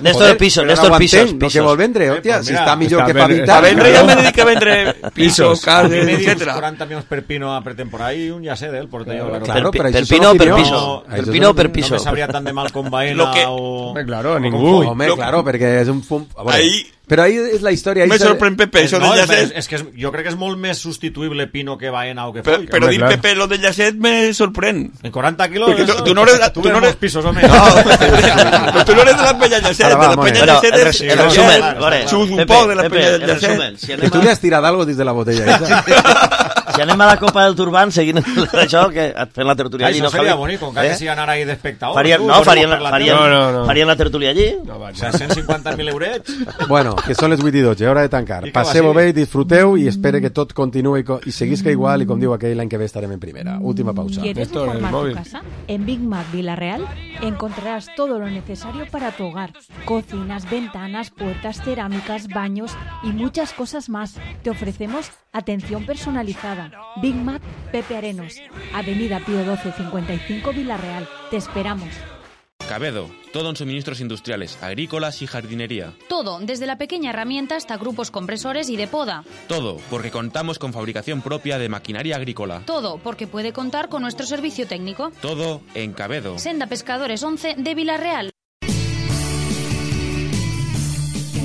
Néstor Pisos. No que vol vendre, hòstia, si està millor que fa 20 anys. A vendre ja me dedica a vendre pisos, cases, etcétera. 40 milions per Pino a temporada y un ya sé del portero. Claro, per Pino o per Piso. Per Pino o per Piso. No me sabría tan de mal con Baena o... Claro, ningú. Home, claro, perquè és un fum... Però ahí és la història. Me sorprèn Pepe, això de Llacet. És que jo crec que és molt més substituïble Pino que Baena o que Foy. Però dir Pepe, lo de Llacet me sorprèn. En 40 kilos... Tu no eres... pisos, home. Però tu no eres de la penya Llacet. De la penya Llacet és... Xus un poc de la penya Llacet. Que tu li has tirat algo des de la botella. Si anem a la Copa del Turban, seguint això, que fent la tertúlia allí. Això seria bonic, encara que siguin ara ahí d'espectadors. Farien la tertúlia allí. No, va, 150.000 eurets. Bueno, que són les 8 i 12, hora de tancar. Passeu-ho bé, disfruteu i espero que tot continuï i seguisca igual i com diu aquell, l'any que ve estarem en primera. Última pausa. ¿Quieres reformar tu casa? En Big Mac Villarreal encontrarás todo lo necesario para tu hogar. Cocinas, ventanas, puertas, cerámicas, baños y muchas cosas más. Te ofrecemos atención personalizada. Big Mac Pepe Arenos, Avenida Pío 12 55 Villarreal. Te esperamos. Cabedo, todo en suministros industriales, agrícolas y jardinería. Todo, desde la pequeña herramienta hasta grupos compresores y de poda. Todo, porque contamos con fabricación propia de maquinaria agrícola. Todo, porque puede contar con nuestro servicio técnico. Todo en Cabedo. Senda Pescadores 11 de Villarreal.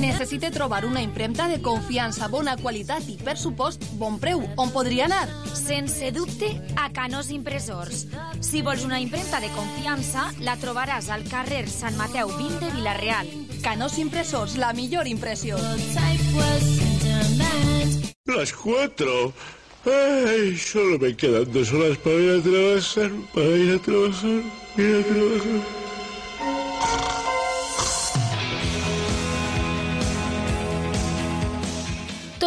Necessite trobar una impremta de confiança, bona qualitat i, per supost, bon preu. On podria anar? Sense dubte, a Canós Impressors. Si vols una impremta de confiança, la trobaràs al carrer Sant Mateu 20 de Villarreal. Canós Impressors, la millor impressió. Las 4. Ay, solo me quedan 2 horas para ir a trabajar.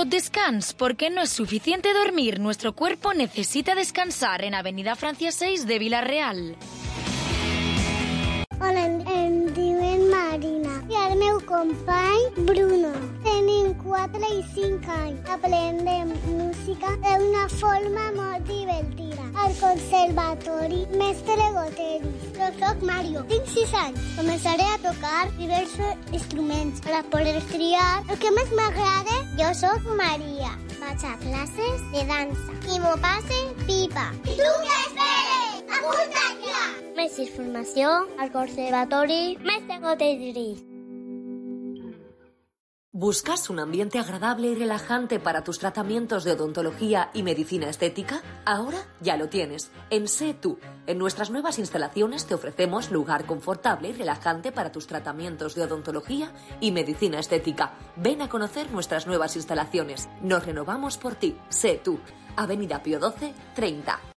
tot descans, porque no es suficiente dormir. Nuestro cuerpo necesita descansar en Avenida Francia 6 de Vila-real. Hola, em diuen Marina i el meu company Bruno. Tenim 4 i 5 anys. Aprendem música d'una forma molt divertida. Al conservatori Mestre Goteris. Jo soc Mario, tinc 6 anys. Començaré a tocar diversos instruments per poder triar el que més m'agrada. Jo soc Maria. Vaig a classes de dansa i m'ho passe pipa. I tu què esperes? Apunta't ja! Més informació al Conservatori Mestre Goteris. ¿Buscas un ambiente agradable y relajante para tus tratamientos de odontología y medicina estética? Ahora ya lo tienes, en Sé Tú. En nuestras nuevas instalaciones te ofrecemos lugar confortable y relajante para tus tratamientos de odontología y medicina estética. Ven a conocer nuestras nuevas instalaciones. Nos renovamos por ti. Sé Tú. Avenida Pío XII, 30.